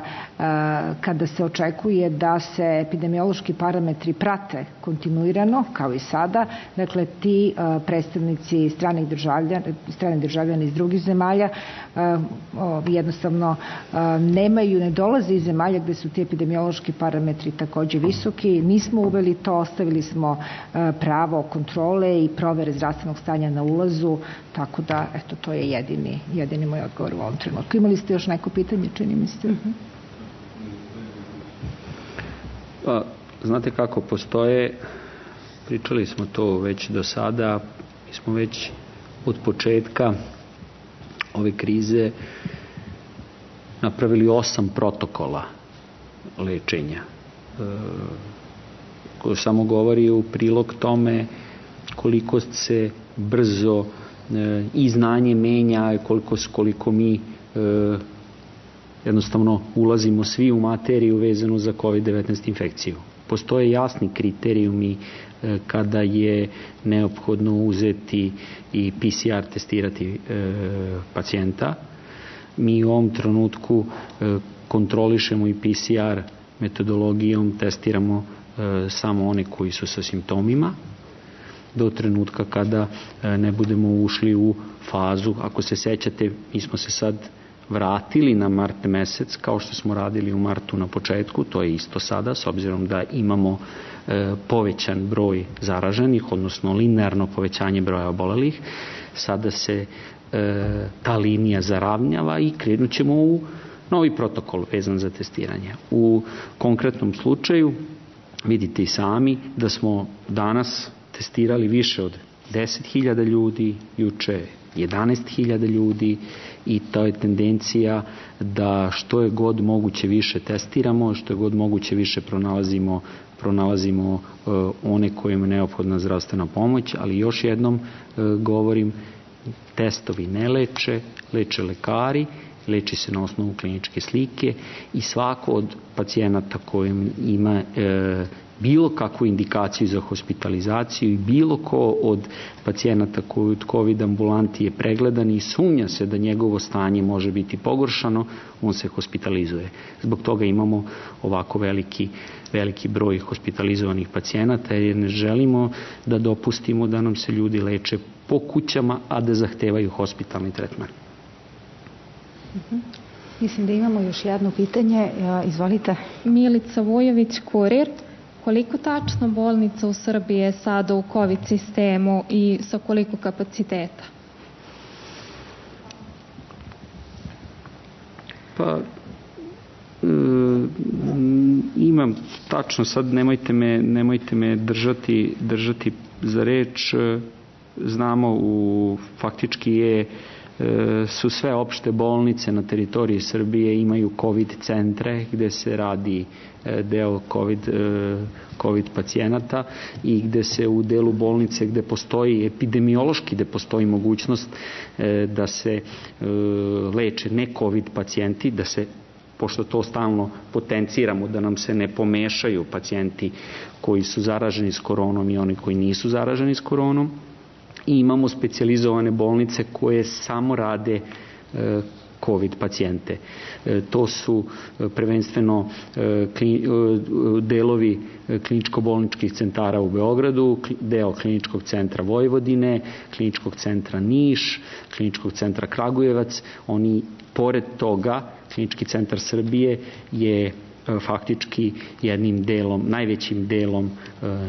kada se očekuje da se epidemiološki parametri prate kontinuirano, kao i sada, dakle ti predstavnici stranih državljana, stranih državljana iz drugih zemalja jednostavno nemaju, ne dolaze iz zemalja gde su ti epidemiološki parametri takođe visoki. Nismo uveli to, ostavili smo pravo kontrole i provere zdravstvenog stanja na ulazu, tako da, eto, to je jedini, jedini moj odgovor u ovom trenutku. Imali ste još neko pitanje, čini mi se? Uh-huh. Pa, znate kako postoje, pričali smo to već do sada, mi smo već od početka ove krize napravili osam protokola lečenja. E, koji samo govori u prilog tome koliko se brzo i znanje menja, koliko, koliko mi e, jednostavno ulazimo svi u materiju vezanu za kovid devetnaest infekciju. Postoje jasni kriterijumi e, kada je neophodno uzeti i P C R testirati e, pacijenta. Mi u ovom trenutku e, kontrolišemo i P C R metodologijom, testiramo e, samo one koji su sa simptomima, do trenutka kada ne budemo ušli u fazu, ako se sećate, mi smo se sad vratili na mart mesec kao što smo radili u martu na početku, to je isto sada, s obzirom da imamo e, povećan broj zaraženih, odnosno linearno povećanje broja obolelih. Sada se e, ta linija zaravnjava i krenut ćemo u novi protokol vezan za testiranje. U konkretnom slučaju vidite i sami da smo danas testirali više od deset hiljada ljudi, juče jedanaest hiljada ljudi i to je tendencija da što je god moguće više testiramo, što je god moguće više pronalazimo, pronalazimo uh, one kojima je neophodna zdravstvena pomoć, ali još jednom uh, govorim, testovi ne leče, leče lekari, leči se na osnovu kliničke slike i svako od pacijenata kojim ima e, bilo kakvu indikaciju za hospitalizaciju i bilo ko od pacijenata koji od COVID ambulanti je pregledan i sumnja se da njegovo stanje može biti pogoršano, on se hospitalizuje. Zbog toga imamo ovako veliki, veliki broj hospitalizovanih pacijenata jer ne želimo da dopustimo da nam se ljudi leče po kućama, a da zahtevaju hospitalni tretman. Uh-huh. Mislim da imamo još jedno pitanje. Izvolite. Milica Vujović, Kurir. Koliko tačno bolnica u Srbiji je sada u COVID sistemu i sa koliko kapaciteta? Pa, e, imam tačno, sad nemojte me, nemojte me držati, držati za reč. Znamo, u, faktički je su sve opšte bolnice na teritoriji Srbije imaju COVID centre gde se radi deo COVID, COVID pacijenata i gde se u delu bolnice gde postoji epidemiološki, gde postoji mogućnost da se leče ne COVID pacijenti, da se, pošto to stalno potenciramo, da nam se ne pomešaju pacijenti koji su zaraženi s koronom i oni koji nisu zaraženi s koronom. I imamo specijalizovane bolnice koje samo rade e, COVID pacijente. E, to su e, prvenstveno e, kli, e, delovi kliničko-bolničkih centara u Beogradu, deo kliničkog centra Vojvodine, kliničkog centra Niš, kliničkog centra Kragujevac. Oni, pored toga, klinički centar Srbije je faktički jednim delom, najvećim delom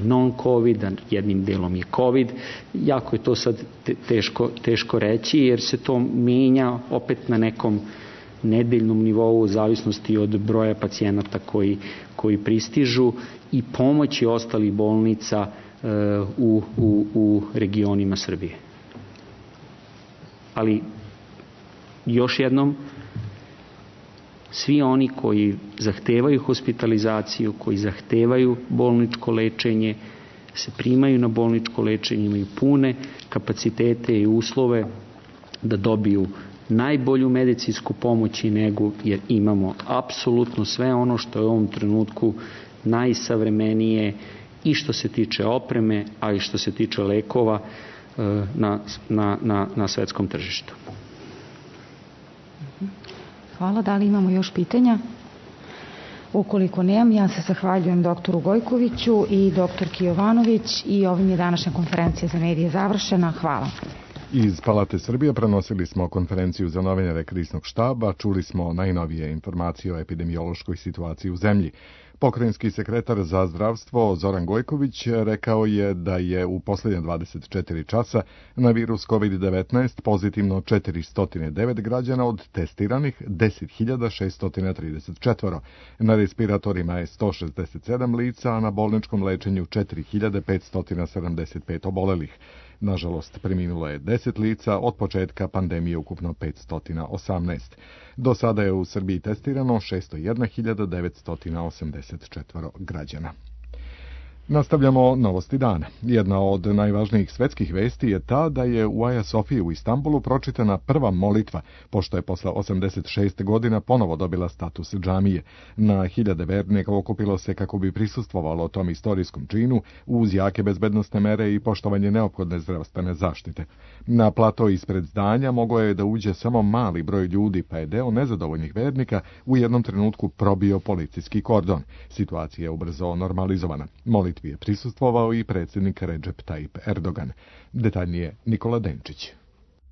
non-COVID, jednim delom je COVID. Jako je to sad teško, teško reći jer se to menja opet na nekom nedeljnom nivou u zavisnosti od broja pacijenata koji, koji pristižu i pomoći ostalih bolnica u, u, u regionima Srbije. Ali još jednom, svi oni koji zahtevaju hospitalizaciju, koji zahtevaju bolničko lečenje, se primaju na bolničko lečenje, imaju pune kapacitete i uslove da dobiju najbolju medicinsku pomoć i negu, jer imamo apsolutno sve ono što je u ovom trenutku najsavremenije i što se tiče opreme, a i što se tiče lekova na, na, na, na svetskom tržištu. Hvala. Da li imamo još pitanja? Ukoliko nemam, ja se zahvaljujem doktoru Gojkoviću i doktorki Jovanović i ovim je današnja konferencija za medije završena. Hvala. Iz Palate Srbije prenosili smo konferenciju za novinare Kriznog štaba, čuli smo najnovije informacije o epidemiološkoj situaciji u zemlji. Pokrajinski sekretar za zdravstvo Zoran Gojković rekao je da je u posljednje dvadeset četiri časa na virus COVID devetnaest pozitivno četiristo devet građana, od testiranih deset hiljada šesto trideset četiri. Na respiratorima je sto šezdeset sedam lica, a na bolničkom lečenju četiri hiljade petsto sedamdeset pet obolelih. Nažalost, preminulo je deset lica, od početka pandemije ukupno petsto osamnaest. Do sada je u Srbiji testirano šesto jedna hiljada devetsto osamdeset četiri građana. Nastavljamo novosti dana. Jedna od najvažnijih svetskih vesti je ta da je u Aja Sofiji u Istanbulu pročitana prva molitva, pošto je posle osamdeset šest godina ponovo dobila status džamije. Na hiljade vernika okupilo se kako bi prisustvovalo tom istorijskom činu uz jake bezbednosne mere i poštovanje neophodne zdravstvene zaštite. Na plato ispred zdanja mogao je da uđe samo mali broj ljudi, pa je deo nezadovoljnih vernika u jednom trenutku probio policijski kordon. Situacija je ubrzo normalizovana. Molitva je prisustvovao i predsjednik Recep Tayyip Erdogan. Detaljnije Nikola Denčić.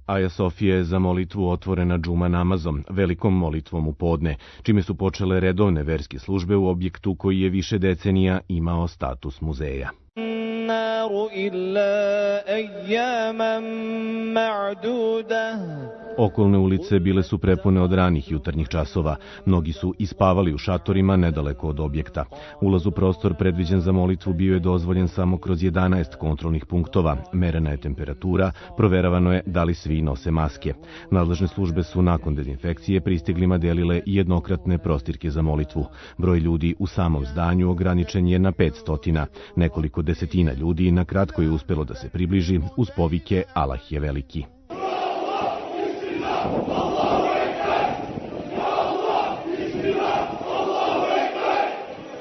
Aja Sofija je za molitvu otvorena džuma namazom, velikom molitvom u podne, čime su počele redovne verske službe u objektu koji je više decenija imao status muzeja. Okolne ulice bile su prepune od ranih jutarnjih časova. Mnogi su ispavali u šatorima nedaleko od objekta. Ulaz u prostor predviđen za molitvu bio je dozvoljen samo kroz jedanaest kontrolnih punktova. Merena je temperatura, proveravano je da li svi nose maske. Nadležne službe su nakon dezinfekcije pristiglima delile jednokratne prostirke za molitvu. Broj ljudi u samom zdanju ograničen je na petsto. Nekoliko desetina ljudi na kratko je uspelo da se približi uz povike Allah je veliki.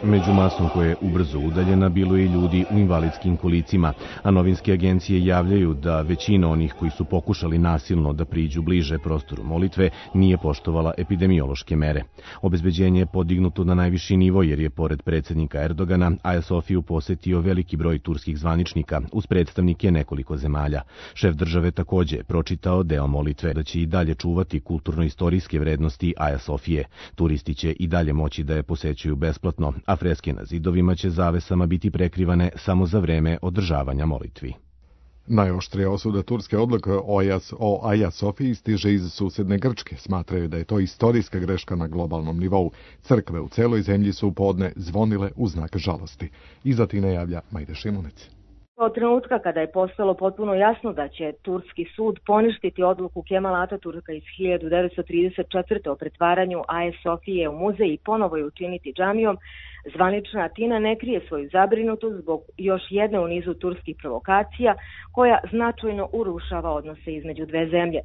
Među masom koja je ubrzo udaljena bilo je i ljudi u invalidskim kolicima, a novinske agencije javljaju da većina onih koji su pokušali nasilno da priđu bliže prostoru molitve nije poštovala epidemiološke mere. Obezbeđenje je podignuto na najviši nivo jer je pored predsjednika Erdogana Aja Sofiju posetio veliki broj turskih zvaničnika uz predstavnike nekoliko zemalja. Šef države takođe je pročitao deo molitve da će i dalje čuvati kulturno-istorijske vrednosti Aja Sofije. Turisti će i dalje moći da je posećuju besplatno, a freske na zidovima će zavesama biti prekrivane samo za vreme održavanja molitvi. Najoštrija osuda turske odluke o Aja Sofiji stiže iz susedne Grčke. Smatraju da je to istorijska greška na globalnom nivou. Crkve u celoj zemlji su u podne zvonile u znak žalosti. Iz Atine javlja Majda Šimunić. Od trenutka kada je postalo potpuno jasno da će turski sud poništiti odluku Kemala Ataturka iz hiljadu devetsto trideset četvrte. o pretvaranju Aje Sofije u muzej i ponovo je učiniti džamijom, zvanična Atina ne krije svoju zabrinutost zbog još jedne u nizu turskih provokacija koja značajno urušava odnose između dve zemlje.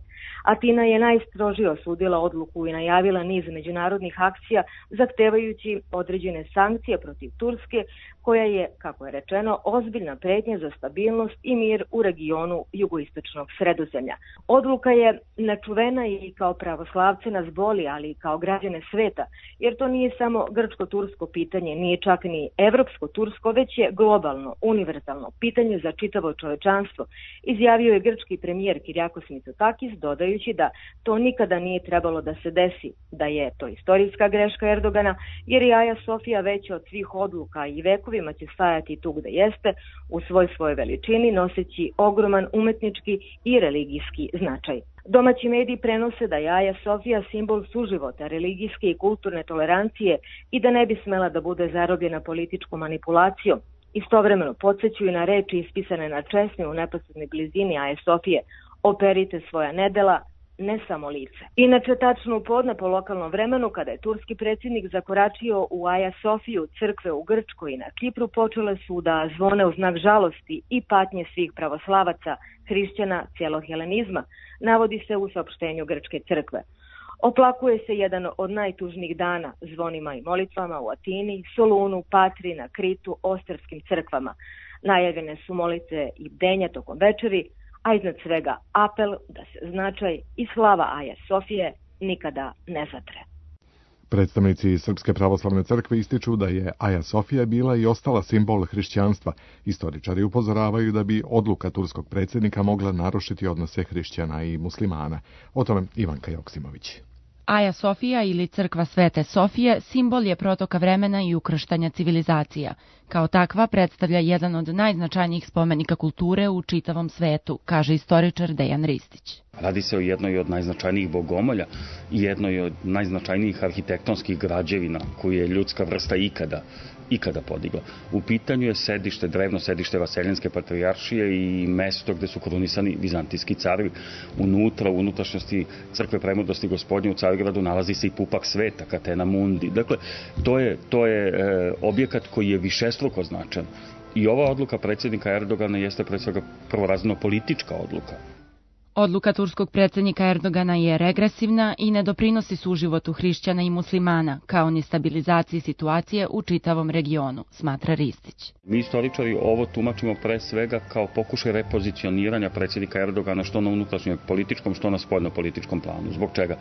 Atina je najstrožije osudila odluku i najavila niz međunarodnih akcija zahtevajući određene sankcije protiv Turske, koja je, kako je rečeno, ozbiljna pretnja za stabilnost i mir u regionu jugoistočnog Sredozemlja. Odluka je nečuvena i kao pravoslavce nas boli, ali i kao građane sveta, jer to nije samo grčko-tursko pitanje, nije čak ni evropsko-tursko, već je globalno, univerzalno pitanje za čitavo čovečanstvo, izjavio je grčki premijer Kyriakos Mitsotakis, dodajući da to nikada nije trebalo da se desi, da je to istorijska greška Erdogana, jer je Aja Sofija veća od svih odluka i vekovima će stajati tu gde jeste, u svoj svoje veličini, noseći ogroman umetnički i religijski značaj. Domaći mediji prenose da je Aja Sofija simbol suživota, religijske i kulturne tolerancije i da ne bi smela da bude zarobljena političkom manipulacijom. Istovremeno podsjećuju na reči ispisane na česmi u neposrednoj blizini Aje Sofije: operite svoja nedela, ne samo lice. Inače, tačno u podne po lokalnom vremenu, kada je turski predsjednik zakoračio u Aja Sofiju, crkve u Grčkoj i na Kipru počele su da zvone u znak žalosti i patnje svih pravoslavaca, hrišćana, cijelog helenizma, navodi se u saopštenju grčke crkve. Oplakuje se jedan od najtužnijih dana zvonima i molitvama u Atini, Solunu, Patri, na Kritu, ostarskim crkvama. Najavljene su molitve i bdenja tokom večeri, a iznad svega apel da se značaj i slava Aje Sofije nikada ne zatre. Predstavnici Srpske pravoslavne crkve ističu da je Aja Sofija bila i ostala simbol hrišćanstva. Istoričari upozoravaju da bi odluka turskog predsjednika mogla narušiti odnose hrišćana i muslimana. O tome Ivanka Joksimović. Aja Sofija ili crkva Svete Sofije simbol je protoka vremena i ukrštanja civilizacija. Kao takva predstavlja jedan od najznačajnijih spomenika kulture u čitavom svetu, kaže istoričar Dejan Ristić. Radi se o jednoj od najznačajnijih bogomolja i jednoj od najznačajnijih arhitektonskih građevina koju je ljudska vrsta ikada ikada podigla. U pitanju je sedište, drevno sedište Vaseljenske patrijaršije i mesto gde su korunisani vizantijski carevi. Unutra, u unutrašnjosti crkve Premudrosti Gospodnje u Carigradu nalazi se i pupak sveta, Catena Mundi. Dakle, to je, to je e, objekat koji je višestruko značan. I ova odluka predsjednika Erdogana jeste pre svega prvorazredno politička odluka. Odluka turskog predsjednika Erdogana je regresivna i ne doprinosi suživotu hrišćana i muslimana, kao ni stabilizaciji situacije u čitavom regionu, smatra Ristić. Mi istoričari ovo tumačimo pre svega kao pokušaj repozicioniranja predsjednika Erdogana što na unutrašnjem političkom, što na spoljno-političkom planu. Zbog čega?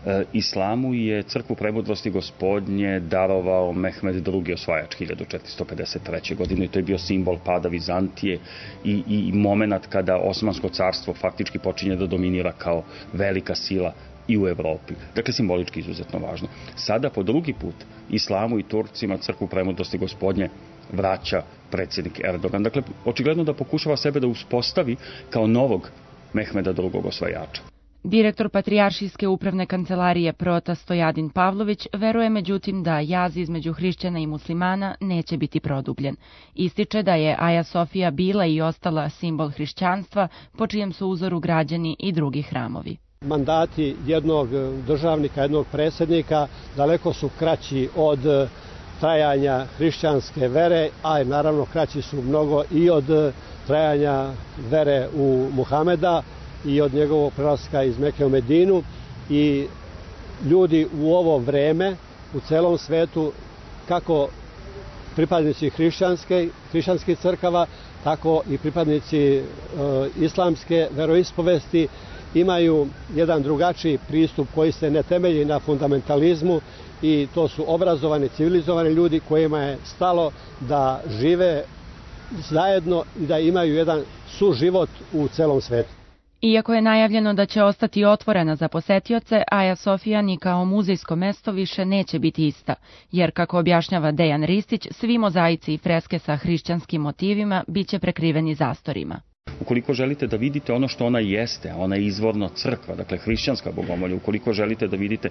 E, islamu je crkvu Premudrosti Gospodnje darovao Mehmed drugi osvajač hiljadu četiristo pedeset treće. godine i to je bio simbol pada Vizantije i, i moment kada Osmansko carstvo faktički počinje da dominira kao velika sila i u Evropi. Dakle, simbolički izuzetno važno. Sada po drugi put islamu i Turcima crkvu premutosti Gospodnje vraća predsjednik Erdogan. Dakle, očigledno da pokušava sebe da uspostavi kao novog Mehmeda drugog osvajača. Direktor Patrijaršijske upravne kancelarije Prota Stojadin Pavlović veruje međutim da jaz između hrišćana i muslimana neće biti produbljen. Ističe da je Aja Sofija bila i ostala simbol hrišćanstva po čijem su uzoru građani i drugi hramovi. Mandati jednog državnika, jednog predsjednika daleko su kraći od trajanja hrišćanske vere, a naravno kraći su mnogo i od trajanja vere u Muhameda i od njegovog prelaska iz Meke u Medinu. I ljudi u ovo vreme u celom svetu, kako pripadnici hrišćanske, hrišćanskih crkava, tako i pripadnici e, islamske veroispovesti, imaju jedan drugačiji pristup koji se ne temelji na fundamentalizmu, i to su obrazovani, civilizovani ljudi kojima je stalo da žive zajedno i da imaju jedan suživot u celom svetu. Iako je najavljeno da će ostati otvorena za posetioce, Aja Sofija ni kao muzejsko mesto više neće biti ista, jer, kako objašnjava Dejan Ristić, svi mozaici i freske sa hrišćanskim motivima biće prekriveni zastorima. Ukoliko želite da vidite ono što ona jeste, a ona je izvorno crkva, dakle hrišćanska bogomolja, ukoliko želite da vidite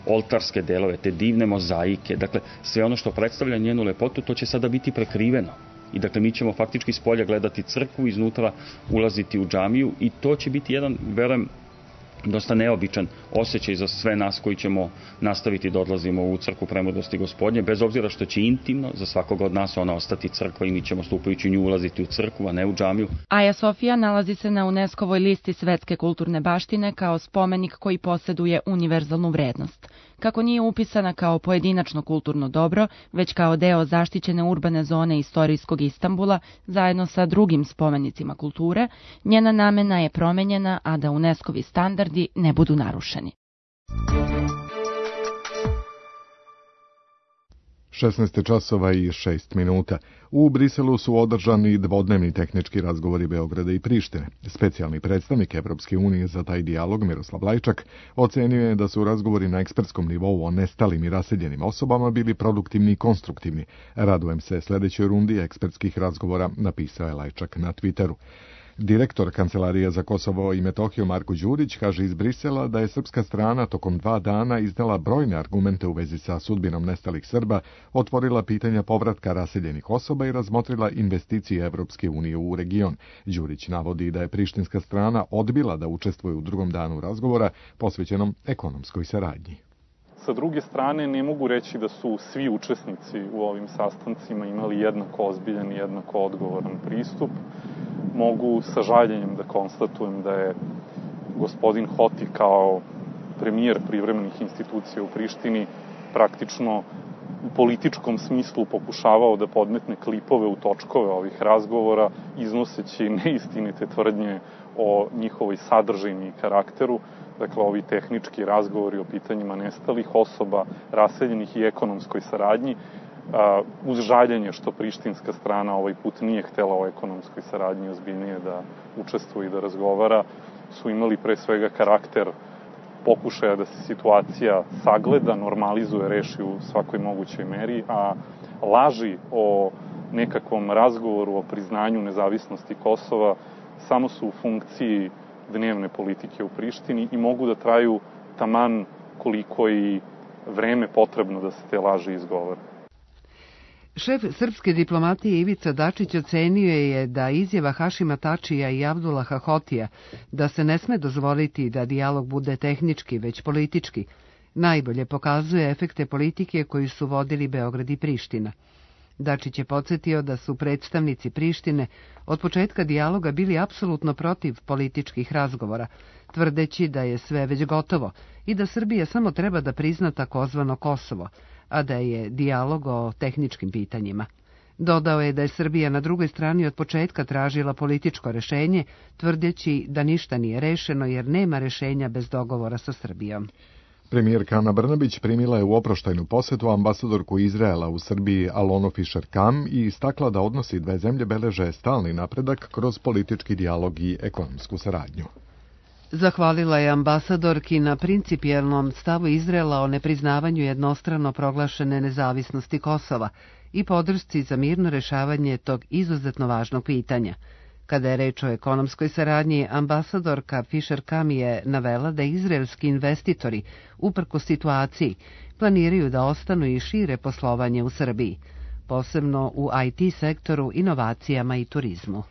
oltarske delove, te divne mozaike, dakle sve ono što predstavlja njenu lepotu, to će sada biti prekriveno. I dakle mi ćemo faktički s polja gledati crkvu, iznutra ulaziti u džamiju, i to će biti jedan, verujem, dosta neobičan osjećaj za sve nas koji ćemo nastaviti da odlazimo u crkvu premutosti Gospodnje, bez obzira što će intimno za svakoga od nas ona ostati crkva i mi ćemo stupajući u nju ulaziti u crkvu, a ne u džamiju. Aja Sofija nalazi se na UNESCO-voj listi svetske kulturne baštine kao spomenik koji poseduje univerzalnu vrednost. Kako nije upisana kao pojedinačno kulturno dobro, već kao deo zaštićene urbane zone istorijskog Istanbula, zajedno sa drugim spomenicima kulture, njena namena je promenjena, a da UNESCO-vi standardi ne budu narušeni. šesnaest časova i šest minuta. U Briselu su održani dvodnevni tehnički razgovori Beograda i Prištine. Specijalni predstavnik Evropske unije za taj dijalog, Miroslav Lajčak, ocenio je da su razgovori na ekspertskom nivou o nestalim i raseljenim osobama bili produktivni i konstruktivni. Radujem se sledećoj rundi ekspertskih razgovora, napisao je Lajčak na Twitteru. Direktor Kancelarije za Kosovo i Metohiju Marko Đurić kaže iz Brisela da je srpska strana tokom dva dana iznela brojne argumente u vezi sa sudbinom nestalih Srba, otvorila pitanja povratka raseljenih osoba i razmotrila investicije Evropske unije u region. Đurić navodi da je prištinska strana odbila da učestvuje u drugom danu razgovora posvećenom ekonomskoj saradnji. Sa druge strane, ne mogu reći da su svi učesnici u ovim sastancima imali jednako ozbiljan i jednako odgovoran pristup. Mogu sa žaljenjem da konstatujem da je gospodin Hoti kao premijer privremenih institucija u Prištini praktično u političkom smislu pokušavao da podmetne klipove u točkove ovih razgovora, iznoseći neistinite tvrdnje o njihovoj sadržini i karakteru. Dakle, ovi tehnički razgovori o pitanjima nestalih osoba, raseljenih i ekonomskoj saradnji, uz žaljenje što prištinska strana ovaj put nije htela o ekonomskoj saradnji ozbiljnije da učestvuje i da razgovara, su imali pre svega karakter pokušaja da se situacija sagleda, normalizuje, reši u svakoj mogućoj meri, a laži o nekakvom razgovoru o priznanju nezavisnosti Kosova samo su u funkciji dnevne politike u Prištini i mogu da traju taman koliko i vreme potrebno da se te laži izgovore. Šef srpske diplomatije Ivica Dačić ocenio je da izjava Hašima Tačija i Abdullaha Hotija da se ne sme dozvoliti da dijalog bude tehnički, već politički, najbolje pokazuje efekte politike koju su vodili Beograd i Priština. Dačić je podsjetio da su predstavnici Prištine od početka dijaloga bili apsolutno protiv političkih razgovora, tvrdeći da je sve već gotovo i da Srbija samo treba da prizna takozvano Kosovo, a da je dijalog o tehničkim pitanjima. Dodao je da je Srbija na drugoj strani od početka tražila političko rešenje, tvrdeći da ništa nije rešeno jer nema rešenja bez dogovora sa Srbijom. Premijerka Ana Brnabić primila je u oproštajnu posetu ambasadorku Izraela u Srbiji Alonu Fischer-Kam i istakla da odnosi dve zemlje beleže stalni napredak kroz politički dijalog i ekonomsku saradnju. Zahvalila je ambasadorki na principijelnom stavu Izraela o nepriznavanju jednostrano proglašene nezavisnosti Kosova i podršci za mirno rešavanje tog izuzetno važnog pitanja. Kada je reč o ekonomskoj saradnji, ambasadorka Fischer-Kam je navela da izraelski investitori, uprkos situaciji, planiraju da ostanu i šire poslovanje u Srbiji, posebno u I T sektoru, inovacijama i turizmu.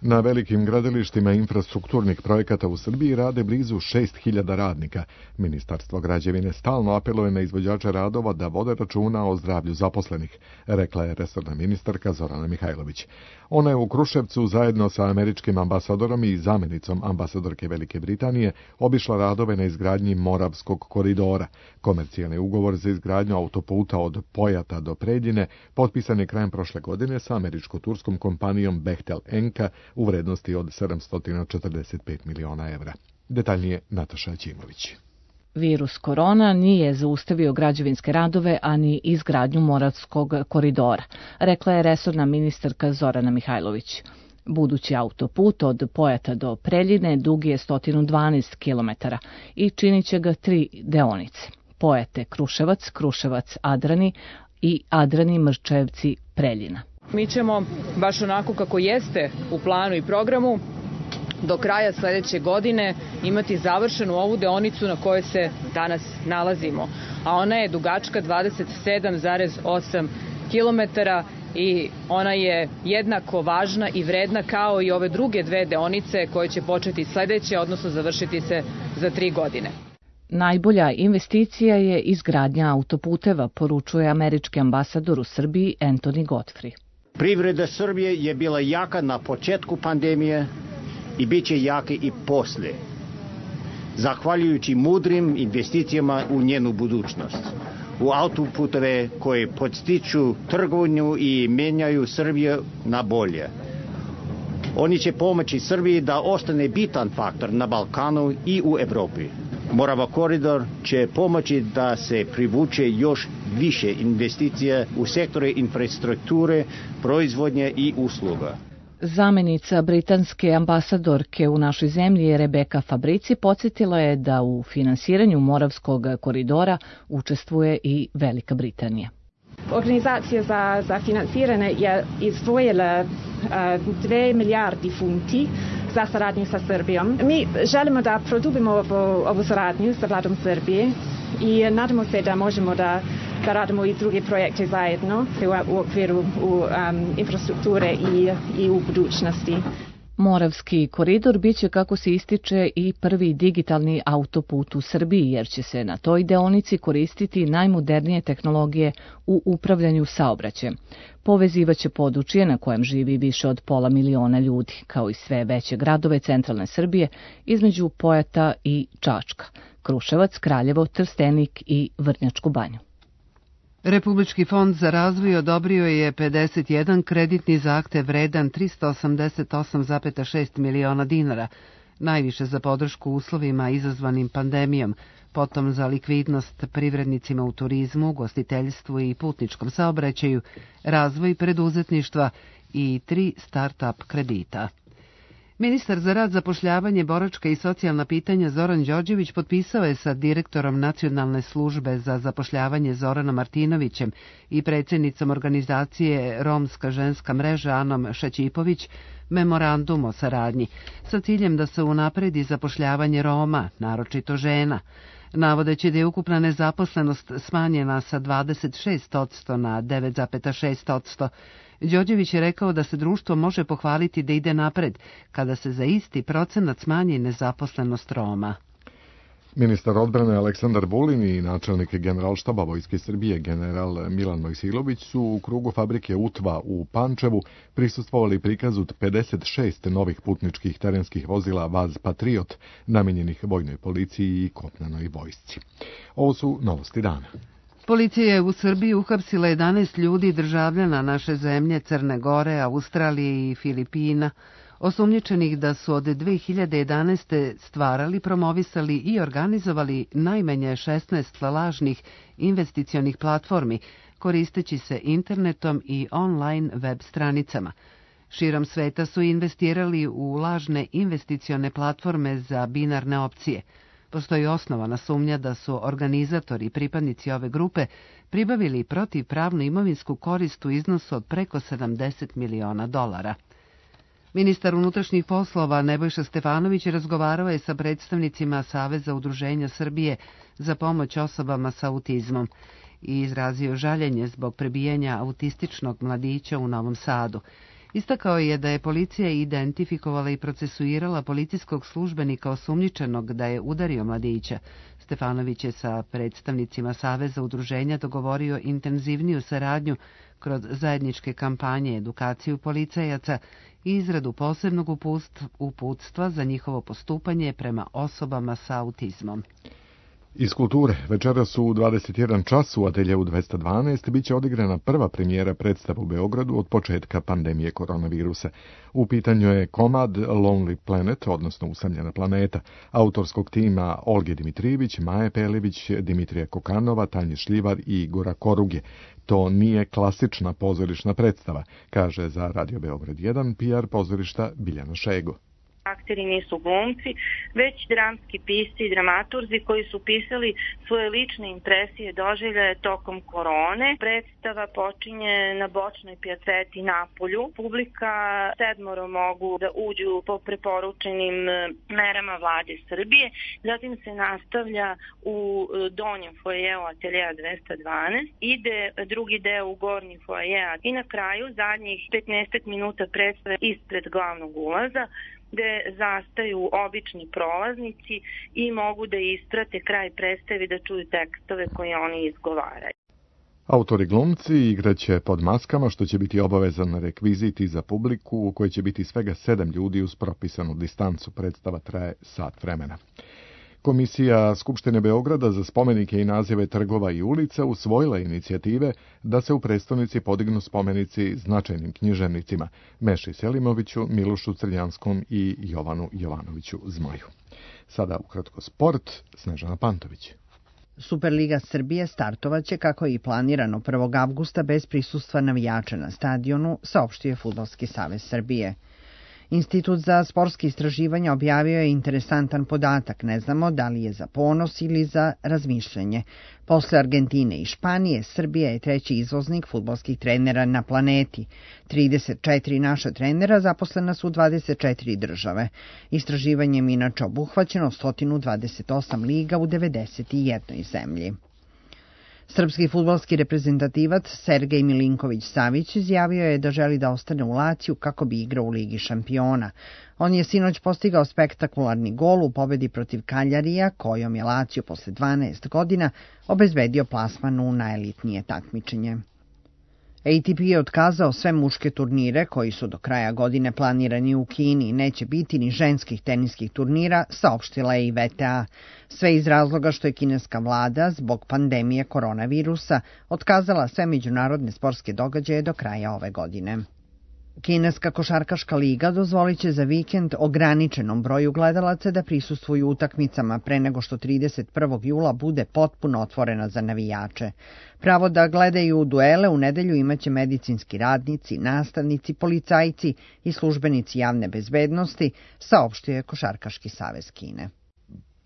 Na velikim gradilištima infrastrukturnih projekata u Srbiji rade blizu šest hiljada radnika. Ministarstvo građevine stalno apeluje na izvođače radova da vode računa o zdravlju zaposlenih, rekla je resorna ministarka Zorana Mihajlović. Ona je u Kruševcu zajedno sa američkim ambasadorom i zamenicom ambasadorke Velike Britanije obišla radove na izgradnji Moravskog koridora. Komercijalni ugovor za izgradnju autoputa od Pojata do Preljine potpisan je krajem prošle godine sa američko-turskom kompanijom Bechtel Enka u vrednosti od sedamsto četrdeset pet miliona evra. Detaljnije Nataša Ćimović. Virus korona nije zaustavio građevinske radove, ani izgradnju Moravskog koridora, rekla je resorna ministarka Zorana Mihajlović. Budući autoput od Pojata do Preljine dug je sto dvanaest kilometara i činit će ga tri deonice. Pojate Kruševac, Kruševac Adrani i Adrani Mrčevci Preljina. Mi ćemo, baš onako kako jeste u planu i programu, do kraja sledeće godine imati završenu ovu deonicu na kojoj se danas nalazimo, a ona je dugačka dvadeset sedam zarez osam kilometara i ona je jednako važna i vredna kao i ove druge dve deonice koje će početi sledeće, odnosno završiti se za tri godine. Najbolja investicija je izgradnja autoputeva, poručuje američki ambasador u Srbiji Anthony Godfrey. Privreda Srbije je bila jaka na početku pandemije i bit će jaka i posle, zahvaljujući mudrim investicijama u njenu budućnost, u autoputeve koje podstiču trgovinu i menjaju Srbiju na bolje. Oni će pomoći Srbiji da ostane bitan faktor na Balkanu i u Evropi. Morava koridor će pomoći da se privuče još više investicija u sektore infrastrukture, proizvodnje i usluga. Zamenica britanske ambasadorke u našoj zemlji Rebeka Fabrici podsjetila je da u finansiranju Moravskog koridora učestvuje i Velika Britanija. Organizacija za, za finansiranje je izdvojila dve milijardi funti za saradnju sa Srbijom. Mi želimo da produbimo ovu, ovu saradnju sa vladom Srbije i nadamo se da možemo da, da radimo i druge projekte zajedno u, u okviru u, um, infrastrukture i, i u budućnosti. Moravski koridor biće, kako se ističe, i prvi digitalni autoput u Srbiji, jer će se na toj deonici koristiti najmodernije tehnologije u upravljanju saobraćajem. Povezivaće područje na kojem živi više od pola miliona ljudi, kao i sve veće gradove centralne Srbije, između Pojata i Čačka, Kruševac, Kraljevo, Trstenik i Vrnjačku Banju. Republički fond za razvoj odobrio je pedeset jedan kreditni zahtev vredan trista osamdeset osam zarez šest miliona dinara, najviše za podršku uslovima izazvanim pandemijom, potom za likvidnost privrednicima u turizmu, gostiteljstvu i putničkom saobraćaju, razvoj preduzetništva i tri start-up kredita. Ministar za rad, zapošljavanje, boračka i socijalna pitanja Zoran Đorđević potpisao je sa direktorom Nacionalne službe za zapošljavanje Zoranom Martinovićem i predsjednicom organizacije Romska ženska mreža Anom Šaćipović memorandum o saradnji sa ciljem da se unapredi zapošljavanje Roma, naročito žena, navodeći da je ukupna nezaposlenost smanjena sa dvadeset šest posto na devet zarez šest posto. Đorđević je rekao da se društvo može pohvaliti da ide napred kada se za isti procenat smanji nezaposlenost Roma. Ministar odbrane Aleksandar Vulin i načelnik Generalštaba Vojske Srbije general Milan Mojsilović su u krugu fabrike Utva u Pančevu prisustvovali prikazu pedeset šest novih putničkih terenskih vozila Vaz Patriot namenjenih vojnoj policiji i kopnenoj vojsci. Ovo su novosti dana. Policija je u Srbiji uhapsila jedanaest ljudi državljana naše zemlje, Crne Gore, Australije i Filipina, osumnjičenih da su od dve hiljade jedanaeste. stvarali, promovisali i organizovali najmanje šesnaest lažnih investicionih platformi, koristeći se internetom i online web stranicama. Širom sveta su investirali u lažne investicione platforme za binarne opcije. Postoji osnovana sumnja da su organizatori i pripadnici ove grupe pribavili protivpravnu imovinsku korist u iznosu od preko sedamdeset miliona dolara. Ministar unutrašnjih poslova Nebojša Stefanović razgovarao je sa predstavnicima Saveza udruženja Srbije za pomoć osobama sa autizmom i izrazio žaljenje zbog prebijanja autističnog mladića u Novom Sadu. Istakao je da je policija identifikovala i procesuirala policijskog službenika osumnjičenog da je udario mladića. Stefanović je sa predstavnicima Saveza udruženja dogovorio intenzivniju saradnju kroz zajedničke kampanje, edukaciju policajaca i izradu posebnog uputstva za njihovo postupanje prema osobama sa autizmom. Iz kulture, večeras u dvadeset jedan čas u ateljeu dvesta dvanaest biće odigrana prva premijera predstava u Beogradu od početka pandemije koronavirusa. U pitanju je komad Lonely Planet, odnosno Usamljena planeta, autorskog tima Olge Dimitrijević, Maje Pelević, Dimitrija Kokanova, Tanje Šljivar i Igora Koruge. To nije klasična pozorišna predstava, kaže za Radio Beograd jedan P R pozorišta Biljana Šego. Akteri nisu glumci, već dramski pisci i dramaturzi koji su pisali svoje lične impresije doživljaje tokom korone. Predstava počinje na bočnoj pijaceti Napolju. Publika sedmoro mogu da uđu po preporučenim merama vlade Srbije. Zatim se nastavlja u donjem foajeu ateljea dvesta dvanaest. Ide drugi deo u gornji foaje i na kraju zadnjih petnaest minuta predstave ispred glavnog ulaza, gde zastaju obični prolaznici i mogu da isprate kraj predstave da čuju tekstove koje oni izgovaraju. Autori glumci igraće pod maskama, što će biti obavezan rekvizit za publiku u kojoj će biti svega sedam ljudi uz propisanu distancu. Predstava traje sat vremena. Komisija Skupštine Beograda za spomenike i nazive trgova i ulica usvojila inicijative da se u prestonici podignu spomenici značajnim književnicima Meši Selimoviću, Milošu Crljanskom i Jovanu Jovanoviću Zmaju. Sada ukratko sport, Snežana Pantović. Superliga Srbije startovaće kako je i planirano prvog avgusta bez prisustva navijača na stadionu, saopštio je Fudbalski savez Srbije. Institut za sportske istraživanja objavio je interesantan podatak, ne znamo da li je za ponos ili za razmišljanje. Posle Argentine i Španije, Srbija je treći izvoznik fudbalskih trenera na planeti. trideset četiri naša trenera zaposlena su u dvadeset četiri države. Istraživanjem inače obuhvaćeno sto dvadeset osam liga u devedeset jednoj zemlji. Srpski fudbalski reprezentativac Sergej Milinković-Savić izjavio je da želi da ostane u Laciju kako bi igrao u Ligi šampiona. On je sinoć postigao spektakularni gol u pobedi protiv Kaljarija, kojom je Lazio posle dvanaest godina obezbedio plasman u najelitnije takmičenje. A T P je otkazao sve muške turnire koji su do kraja godine planirani u Kini. Neće biti ni ženskih teniskih turnira, saopštila je i V T A. Sve iz razloga što je kineska vlada zbog pandemije koronavirusa otkazala sve međunarodne sportske događaje do kraja ove godine. Kineska košarkaška liga dozvolit će za vikend ograničenom broju gledalaca da prisustvuju utakmicama pre nego što trideset prvog jula bude potpuno otvorena za navijače. Pravo da gledaju duele u nedelju imaće medicinski radnici, nastavnici, policajci i službenici javne bezbednosti, saopštio je Košarkaški savez Kine.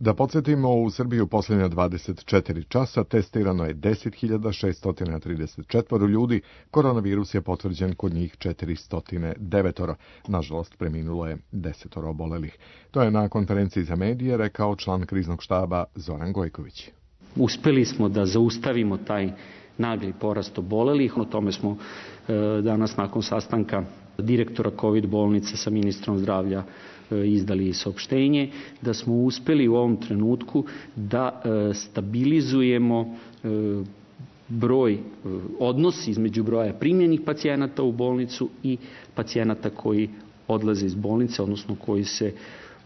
Da podsjetimo, u Srbiji u posljednja dvadeset četiri časa testirano je deset hiljada šeststo trideset četiri ljudi, koronavirus je potvrđen kod njih četiristo devet. Nažalost, preminulo je deset obolelih. To je na konferenciji za medije rekao član kriznog štaba Zoran Gojković. Uspeli smo da zaustavimo taj nagli porast obolelih, o tome smo e, danas nakon sastanka direktora COVID bolnice sa ministrom zdravlja izdali saopštenje, da smo uspeli u ovom trenutku da e, stabilizujemo e, broj, e, odnos između broja primljenih pacijenata u bolnicu i pacijenata koji odlaze iz bolnice, odnosno koji se,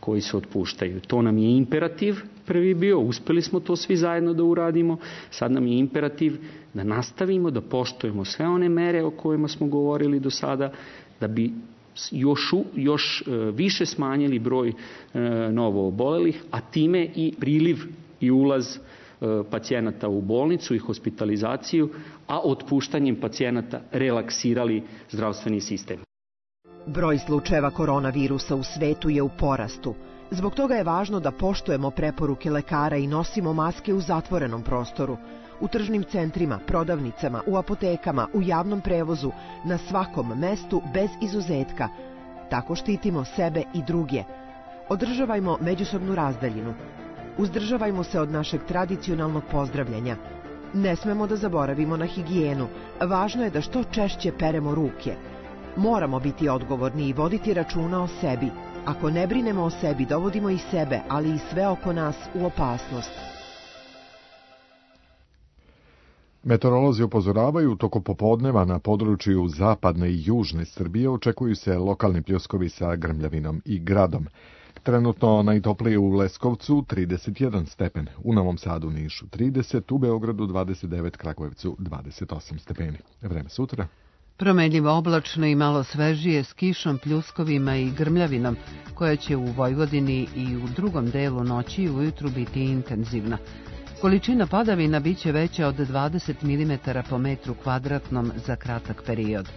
koji se otpuštaju. To nam je imperativ prvi bio, uspeli smo to svi zajedno da uradimo, sad nam je imperativ da nastavimo, da poštujemo sve one mere o kojima smo govorili do sada, da bi još, još više smanjili broj novo obolelih, a time i priliv i ulaz pacijenata u bolnicu i hospitalizaciju, a otpuštanjem pacijenata relaksirali zdravstveni sistem. Broj slučajeva koronavirusa u svetu je u porastu. Zbog toga je važno da poštujemo preporuke lekara i nosimo maske u zatvorenom prostoru, u tržnim centrima, prodavnicama, u apotekama, u javnom prevozu, na svakom mestu bez izuzetka. Tako štitimo sebe i druge. Održavajmo međusobnu razdaljinu. Uzdržavajmo se od našeg tradicionalnog pozdravljanja. Ne smemo da zaboravimo na higijenu. Važno je da što češće peremo ruke. Moramo biti odgovorni i voditi računa o sebi. Ako ne brinemo o sebi, dovodimo i sebe, ali i sve oko nas u opasnost. Meteorolozi upozoravaju toko popodneva na području zapadne i južne Srbije očekuju se lokalni pljuskovi sa grmljavinom i gradom. Trenutno najtoplije u Leskovcu trideset jedan stepen, u Novom Sadu, Nišu trideset, u Beogradu dvadeset devet, Kragujevcu dvadeset osam stepeni. Vreme sutra. Promenljivo oblačno i malo svežije s kišom, pljuskovima i grmljavinom, koja će u Vojvodini i u drugom delu noći i ujutru biti intenzivna. Količina padavina biće veća od dvadeset milimetara po metru kvadratnom za kratak period.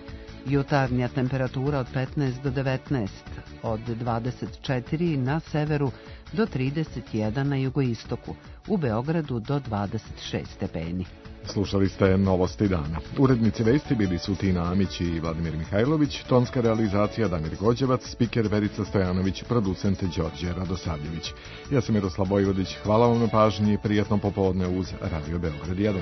Jutarnja temperatura od petnaest do devetnaest, od dvadeset četiri na severu do trideset jedan na jugoistoku, u Beogradu do dvadeset šest stepeni. Slušali ste Novosti dana. Urednici vesti bili su Tina Amić i Vladimir Mihajlović, tonska realizacija Damir Gođevac, spiker Verica Stojanović, producent Đorđe Radosavljević. Ja sam Miroslav Vojvodić, hvala vam na pažnji i prijatno popodne uz Radio Beograd jedan.